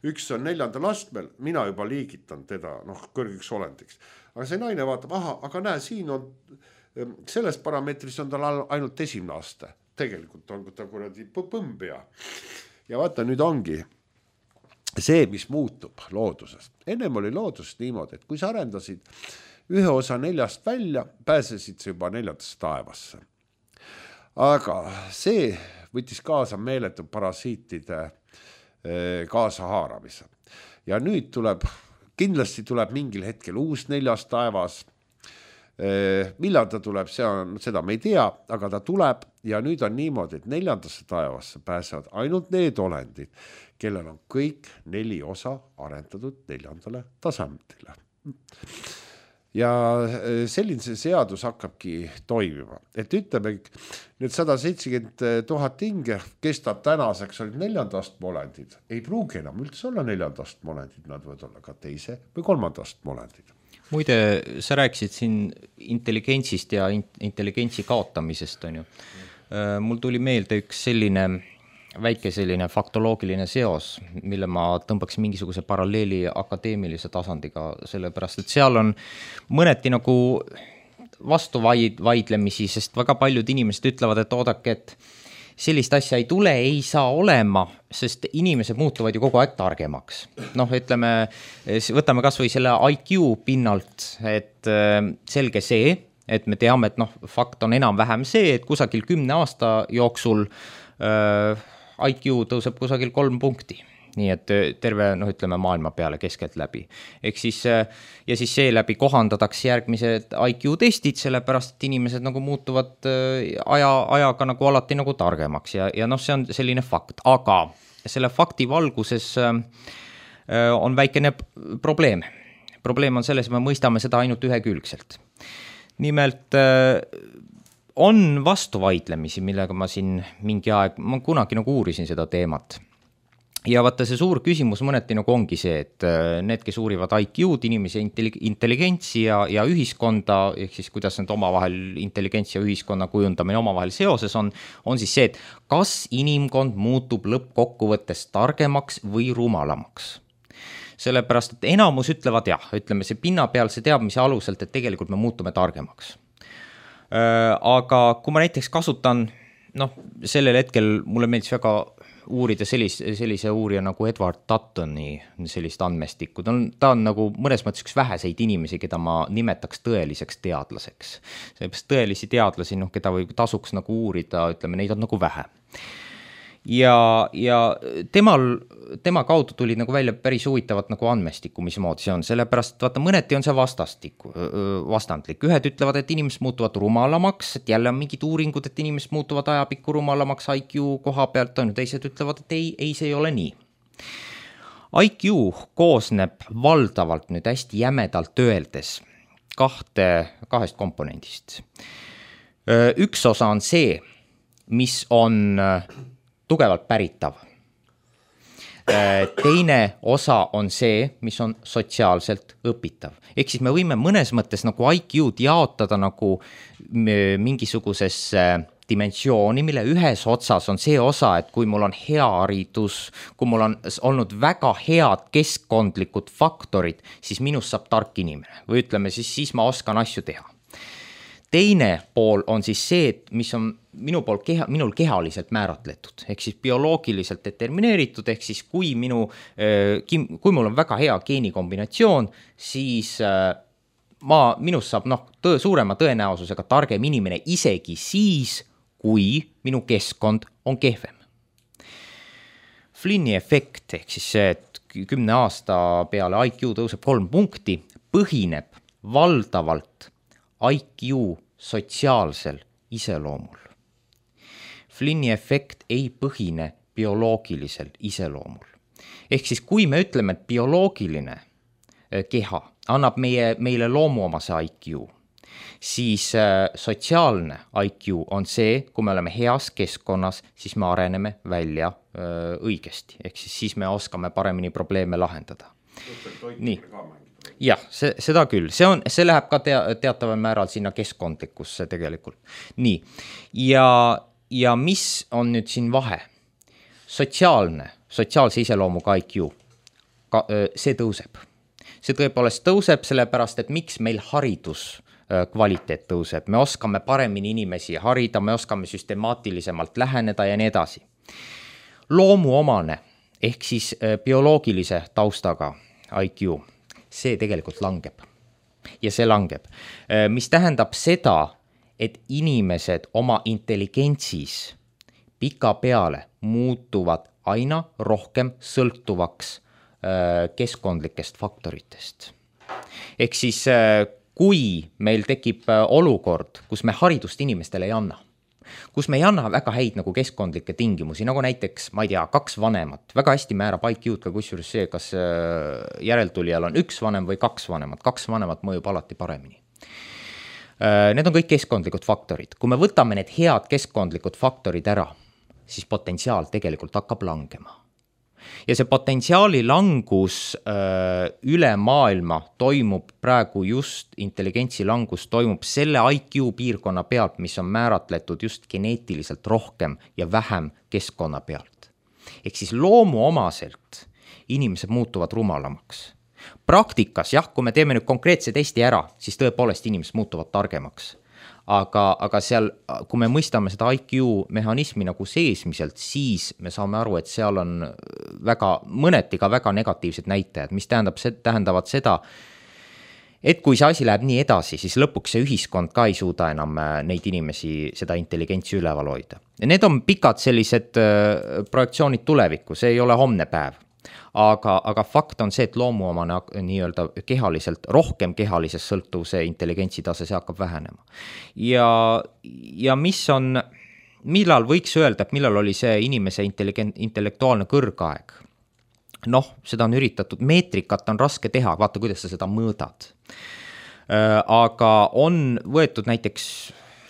üks on neljandal astmel, mina juba liigitan teda noh, kõrgiks olendiks. Aga see naine vaatab, aha, aga näe, siin on, selles parameetris on tal ainult esimene aste. Tegelikult on ta kuradi põmbja. Ja vaata, nüüd ongi see, mis muutub looduses. Ennem oli loodusest niimoodi, et kui sa arendasid ühe osa neljast välja, pääsesid sa juba neljandast taevasse. Aga see võttis kaasa meeletu parasiitide kaasa haaramise. Ja nüüd tuleb, kindlasti tuleb mingil hetkel uus neljas taevas. Millal ta tuleb, see on, seda me ei tea, aga ta tuleb ja nüüd on niimoodi, et neljandasse taevasse pääsevad ainult need olendid, kellel on kõik neli osa arendatud neljandale tasemele. Ja selline see seadus hakkabki toimima. Et ütleme, need sada seitsekümmend tuhat hinge kestab tänaseks olid neljandast olendid. Ei pruugi enam üldse olla neljandast olendid, nad võivad olla ka teise või kolmandast olendid. Muide, sa rääkisid siin intelligentsist ja intelligentsi kaotamisest, on ju. Mul tuli meelde üks selline väike selline faktoloogiline seos, mille ma tõmbaks mingisuguse paralleeli akadeemilise tasandiga, sellepärast, et seal on mõneti nagu vastu vaidlemisi, sest väga paljud inimesed ütlevad, et oodake, et sellist asja ei tule, ei saa olema, sest inimesed muutuvad ju kogu aeg targemaks. Noh, ütleme, võtame kas või selle I Q pinnalt, et selge see, et me teame, et noh, fakt on enam vähem see, et kusagil kümne aasta jooksul äh, I Q tõuseb kusagil kolm punkti. Nii et terve, noh, ütleme maailma peale keskelt läbi. Ehk siis, ja siis see läbi kohandatakse järgmised I Q testid, sellepärast, et inimesed nagu muutuvad aja, ajaga nagu alati nagu targemaks ja, ja noh, see on selline fakt. Aga selle fakti valguses on väikene probleem. Probleem on selles, et me mõistame seda ainult ühekülgselt. Nimelt on vastuvaidlemisi, millega ma siin mingi aeg, ma kunagi nagu uurisin seda teemat. Ja vaata see suur küsimus mõneti nagu ongi see, et need, kes uurivad I Q-d, inimese intelligentsi ja, ja ühiskonda, ehk siis kuidas need omavahel intelligentsi ja ühiskonna kujundamine omavahel seoses on, on siis see, et kas inimkond muutub lõppkokkuvõttes targemaks või rumalamaks. Sellepärast, et enamus ütlevad jah, ütleme see pinnapealse teadmise aluselt, et tegelikult me muutume targemaks. Aga kui ma näiteks kasutan, noh, sellel hetkel mulle meeldis väga uurida sellise, sellise uurija nagu Edward Duttoni sellist andmestikku. Ta on, ta on nagu mõnes mõttes üks väheseid inimesi, keda ma nimetaks tõeliseks teadlaseks. Sellepärast tõelisi teadlasi, noh, keda või tasuks nagu uurida, ütleme, neid on nagu vähe. Ja, ja temal, tema kaudu tuli nagu välja päris huvitavat nagu andmestikku, mis moodi see on. Sellepärast, vaata, mõneti on see vastastikku, vastandlik. Ühed ütlevad, et inimesed muutuvad rumalamaks, et jälle on mingid uuringud, et inimesed muutuvad ajapikku rumalamaks I Q koha pealt, on ju, teised ütlevad, et ei, ei, see ei ole nii. I Q koosneb valdavalt nüüd hästi jämedalt öeldes kahte, kahest komponendist. Üks osa on see, mis on tugevalt päritav. Teine osa on see, mis on sotsiaalselt õpitav. Ehk siis me võime mõnes mõttes nagu I Q-d jaotada nagu mingisugusesse dimensiooni, mille ühes otsas on see osa, et kui mul on hea haridus, kui mul on olnud väga head keskkondlikud faktorid, siis minust saab tark inimene. Või ütleme siis, siis ma oskan asju teha. Teine pool on siis see, et mis on minu pool keha, minul kehaliselt määratletud, ehk siis bioloogiliselt determineeritud, ehk siis kui, minu, kui mul on väga hea geenikombinatsioon, siis ma, minust saab noh, tõe, suurema tõenäosusega targem inimene isegi siis, kui minu keskkond on kehvem. Flinni efekt, ehk siis see, et kümne aasta peale I Q tõuseb kolm punkti, põhineb valdavalt I Q sotsiaalsel iseloomul. Flinni efekt ei põhine bioloogilisel iseloomul. Ehk siis kui me ütleme, et bioloogiline keha annab meie, meile loomuomase I Q, siis sotsiaalne I Q on see, kui me oleme heas keskkonnas, siis me areneme välja õigesti. Ehk siis, siis me oskame paremini probleeme lahendada. Nii. Jah, see, seda küll, see, on, see läheb ka tea, teataval määral sinna keskkondlikusse tegelikult. Nii, ja, ja mis on nüüd siin vahe? Sotsiaalne, sotsiaalse iseloomuga I Q, ka, see tõuseb. See tõepoolest tõuseb sellepärast, et miks meil haridus kvaliteet tõuseb. Me oskame paremini inimesi harida, me oskame süstemaatilisemalt läheneda ja nii edasi. Loomuomane, ehk siis bioloogilise taustaga I Q, see tegelikult langeb. Ja see langeb. Mis tähendab seda, et inimesed oma intelligentsis pika peale muutuvad aina rohkem sõltuvaks keskkondlikest faktoritest. Ehk siis, kui meil tekib olukord, kus me haridust inimestele ei anna, kus me ei anna väga häid nagu keskkondlikke tingimusi, nagu näiteks, ma ei tea, kaks vanemat, väga hästi määrab I Q-d ka kusjuures see, kas järeltulijal on üks vanem või kaks vanemat, kaks vanemat mõjub alati paremini. Need on kõik keskkondlikud faktorid. Kui me võtame need head keskkondlikud faktorid ära, siis potentsiaal tegelikult hakkab langema. Ja see potentsiaali langus öö, üle maailma toimub praegu just, intelligentsi langus toimub selle I Q piirkonna pealt, mis on määratletud just geneetiliselt rohkem ja vähem keskkonna pealt. Ehk siis loomuomaselt inimesed muutuvad rumalamaks. Praktikas, jah, kui me teeme nüüd konkreetse testi ära, siis tõepoolest inimesed muutuvad targemaks. Aga, aga seal, kui me mõistame seda I Q mehhanismi nagu seesmiselt, siis me saame aru, et seal on väga, mõneti ka väga negatiivsed näitajad, mis tähendab, tähendavad seda, et kui see asi läheb nii edasi, siis lõpuks see ühiskond ka ei suuda enam neid inimesi seda intelligentsi üleval hoida. Ja need on pikad sellised projektsioonid tulevikku, see ei ole homne päev. Aga, aga fakt on see, et loomuomane nii-öelda kehaliselt, rohkem kehalises sõltuvuse intelligentsi tase, see hakkab vähenema. Ja, ja mis on, millal võiks öelda, et millal oli see inimese intellektuaalne kõrgaeg? Noh, seda on üritatud, meetrikat on raske teha, vaata, kuidas sa seda mõõdad. Aga on võetud näiteks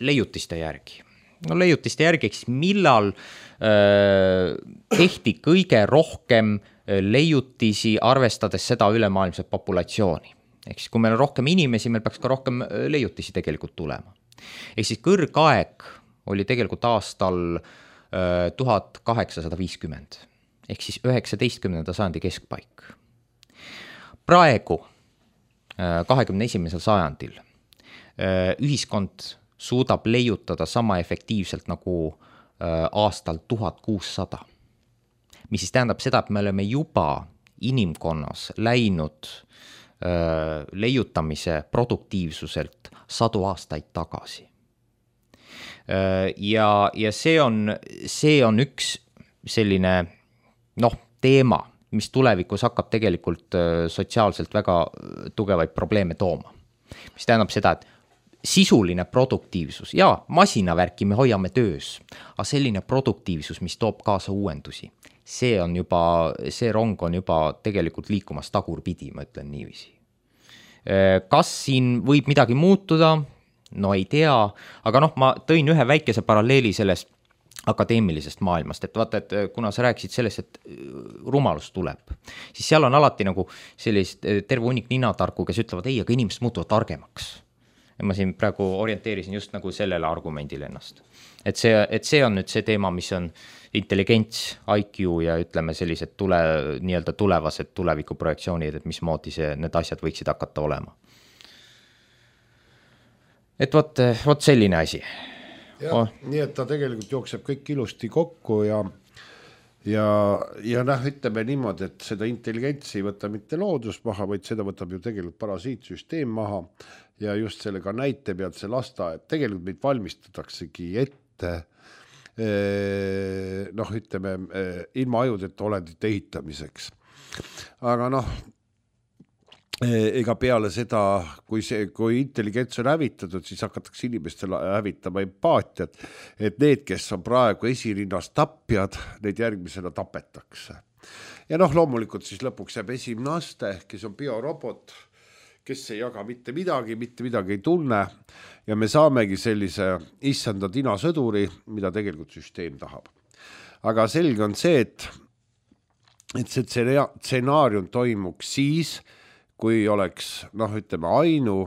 leiutiste järgi. No leiutiste järgi, eks millal äh, tehti kõige rohkem leiutisi, arvestades seda ülemaailmset populatsiooni. Ehk siis, kui meil on rohkem inimesi, meil peaks ka rohkem leiutisi tegelikult tulema. Ehk siis kõrgaeg oli tegelikult aastal äh, tuhat kaheksasada viiskümmend. Ehk siis üheksateistkümnenda sajandi keskpaik. Praegu, äh, kahekümne esimesel sajandil, äh, ühiskond suudab leiutada sama efektiivselt nagu äh, aastal tuhat kuussada. Mis siis tähendab seda, et me oleme juba inimkonnas läinud öö, leiutamise produktiivsuselt sadu aastaid tagasi. Ja, ja see on, see on üks selline noh, teema, mis tulevikus hakkab tegelikult sotsiaalselt väga tugevaid probleeme tooma. Mis tähendab seda, et sisuline produktiivsus ja masinavärki me hoiame töös, aga selline produktiivsus, mis toob kaasa uuendusi, see on juba, see rong on juba tegelikult liikumas tagurpidi, ma ütlen niiviisi. Kas siin võib midagi muutuda? No ei tea, aga noh, ma tõin ühe väikese paralleeli sellest akadeemilisest maailmast, et vaata, et kuna sa rääkisid sellest, et rumalus tuleb, siis seal on alati nagu sellist terve hunnik ninatarku, kes ütlevad, ei, aga inimesed muutuvad targemaks. Ja ma siin praegu orienteerisin just nagu sellele argumendile ennast. Et see, et see on nüüd see teema, mis on intelligents, I Q ja ütleme sellised tule, nii-öelda tulevased tulevikuprojektsioonid, et mismoodi see, need asjad võiksid hakata olema. Et võt, võt selline asi. Ja, oh. Nii et ta tegelikult jookseb kõik ilusti kokku ja, ja, ja näh, ütleme niimoodi, et seda intelligentsi ei võta mitte loodus maha, vaid seda võtab ju tegelikult parasiitsüsteem maha ja just sellega näite pealt see lasta, et tegelikult meid valmistataksegi ette noh, ütleme ilma ajudeta olendite ehitamiseks. Aga noh, ega peale seda, kui, see, kui intelligents on hävitatud, siis hakatakse inimestele hävitama empaatiat, et need, kes on praegu esirinnas tapjad, neid järgmisena tapetakse. Ja noh, loomulikult siis lõpuks jääb esimene aste, kes on biorobot, kes ei jaga mitte midagi, mitte midagi ei tunne ja me saamegi sellise issanda tinasõduri, mida tegelikult süsteem tahab. Aga selge on see, et, et see stsenaarium toimuks siis, kui oleks, noh, ütleme, ainu,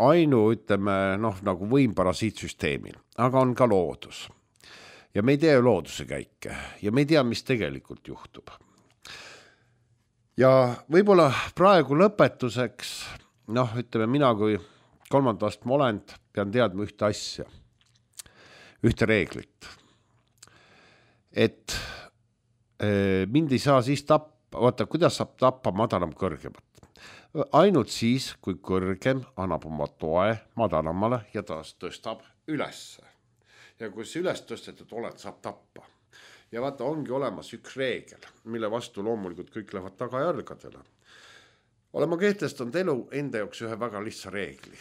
ainu, ütleme, noh, nagu võim parasiitsüsteemil, aga on ka loodus. Ja me ei tea looduse käike ja me ei tea, mis tegelikult juhtub. Ja võib-olla praegu lõpetuseks, noh, ütleme, mina kui kolmandast molend pean teadma ühte asja, ühte reeglit, et mind ei saa siis tappa, vaata, kuidas saab tappa madalam kõrgemat. Ainult siis, kui kõrgem annab oma toe madalamale ja ta tõstab ülesse. Ja kui see üles tõstetud oled, saab tappa. Ja vaata, ongi olemas üks reegel, mille vastu loomulikult kõik lähevad tagajärgadele. Olen ma kehtestanud elu enda jaoks ühe väga lihtsa reegli.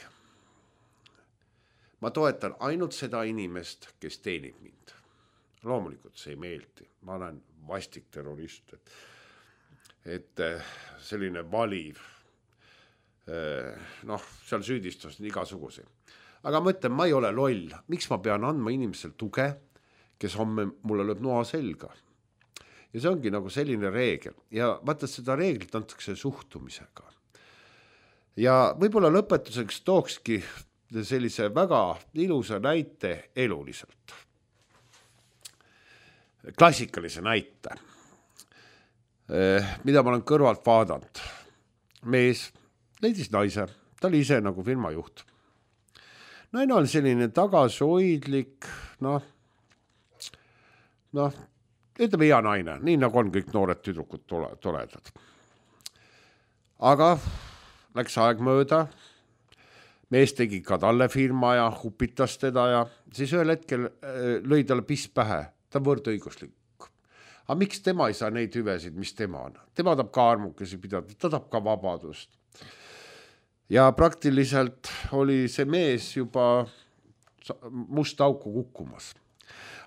Ma toetan ainult seda inimest, kes teenib mind. Loomulikult see ei meeldi. Ma olen vastik terrorist, et et selline valiv, noh, seal süüdistus on igasuguse. Aga ma ütlen, ma ei ole loll. Miks ma pean andma inimesel tuge, kes homme mulle lööb noa selga? Ja see ongi nagu selline reegel. Ja vaata, seda reeglit antakse suhtumisega. Ja võib-olla lõpetuseks tookski sellise väga ilusa näite eluliselt. Klassikalise näite. Mida ma olen kõrvalt vaadanud. Mees leidis naise, ta oli ise nagu firma juht. Naine on selline tagasihoidlik, noh, noh, ütleme hea naine, nii nagu on kõik noored tüdrukud toredad. Aga läks aeg mööda, mees tegi ka talle firma ja hupitas teda ja siis ühel hetkel lõi talle piss pähe, ta on võrdõiguslik. Aga miks tema ei saa neid hüvesid, mis tema on? Tema tahab ka armukesi pidada, ta tahab ka vabadust. Ja praktiliselt oli see mees juba musta auku kukkumas.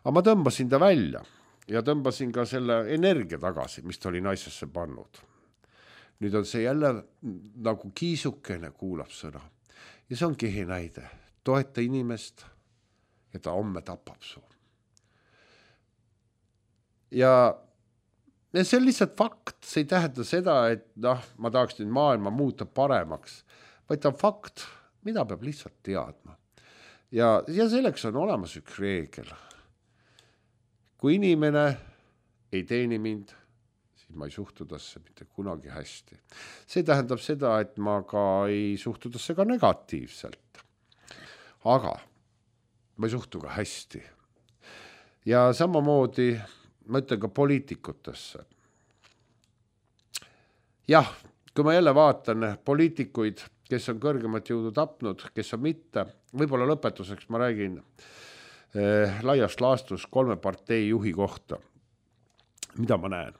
Aga ma tõmbasin ta välja ja tõmbasin ka selle energia tagasi, mis ta oli naisesse pannud. Nüüd on see jälle nagu kiisukene kuulab sõna. Ja see on kehe näide. Toeta inimest ja ta homme tapab su. Ja see on lihtsalt fakt, see ei tähenda seda, et noh, ma tahaks nüüd maailma muuta paremaks, vaid ta on fakt, mida peab lihtsalt teadma. Ja, ja selleks on olemas üks reegel. Kui inimene ei teeni mind, siis ma ei suhtu tasse mitte kunagi hästi. See tähendab seda, et ma ka ei suhtu tasse ka negatiivselt. Aga ma ei suhtu ka hästi. Ja samamoodi ma ütlen ka poliitikutesse. Jah, kui ma jälle vaatan poliitikuid, kes on kõrgemat jõudu tapnud, kes on mitte, võib-olla lõpetuseks ma räägin eh, laiast laastus kolme partei juhi kohta. Mida ma näen?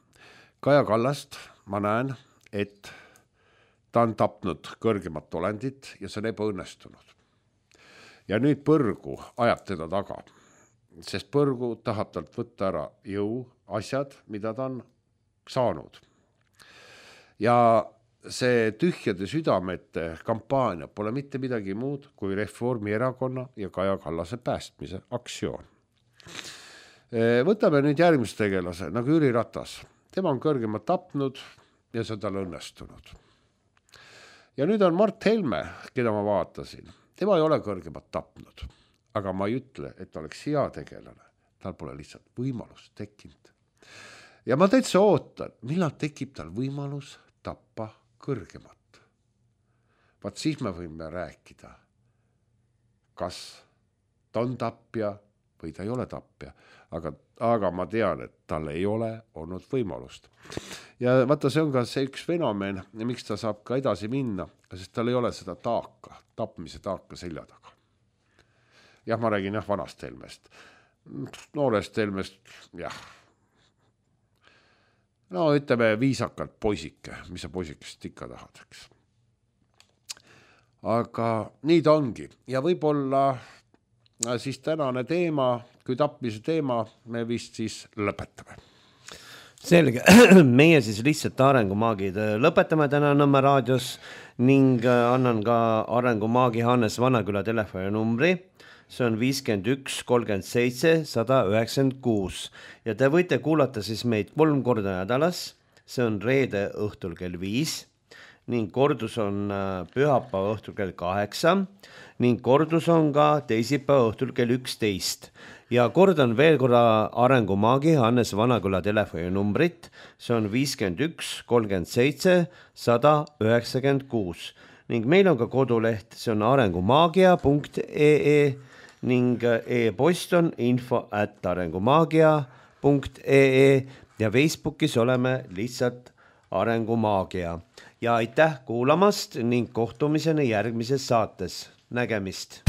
Kaja Kallast ma näen, et ta on tapnud kõrgemat olendit ja see on ebaõnnestunud. Ja nüüd põrgu ajab teda taga. Sest põrgu tahab talt võtta ära jõu asjad, mida ta on saanud. Ja see tühjade südamete kampaania pole mitte midagi muud kui Reformierakonna ja Kaja Kallase päästmise aktsioon. Võtame nüüd järgmise tegelase, nagu Jüri Ratas. Tema on kõrgemalt tapnud ja see on tal õnnestunud. Ja nüüd on Mart Helme, keda ma vaatasin. Tema ei ole kõrgemalt tapnud, aga ma ei ütle, et ta oleks hea tegelane. Tal pole lihtsalt võimalus tekkinud. Ja ma täitsa ootan, millal tekib tal võimalus tappa kõrgemat. Vaat siis me võime rääkida, kas ta on tapja või ta ei ole tapja, aga, aga ma tean, et tal ei ole olnud võimalust. Ja vaata, see on ka see üks fenomen, miks ta saab ka edasi minna, sest tal ei ole seda taaka, tapmise taaka selja taga. Jah, ma räägin jah vanast Helmest. Noorest Helmest, jah. No ütleme viisakalt poisike, mis sa poisikest ikka tahad, eks. Aga nii ta ongi. Ja võib-olla siis tänane teema, kui tapmise teema, me vist siis lõpetame. Selge, meie siis lihtsalt arengumaagid lõpetame täna Nõmme raadios ning annan ka arengumaagi Hannes Vanaküla telefoni numbri. See on viiskümmend üks kolmkümmend seitse sada üheksakümmend kuus ja te võite kuulata siis meid kolm korda nädalas. See on reede õhtul kell viis ning kordus on pühapäeva õhtul kell kaheksa ning kordus on ka teisipäeva õhtul kell üksteist. Ja kordan veel korra arengumaagi Hannes Vanaküla telefoni numbrit. See on viiskümmend üks kolmkümmend seitse sada üheksakümmend kuus ning meil on ka koduleht, see on arengumaagia punkt ee ning e-post on info at arengumaagia punkt ee ja Facebookis oleme lihtsalt arengumaagia. Ja aitäh kuulamast ning kohtumiseni järgmises saates. Nägemist!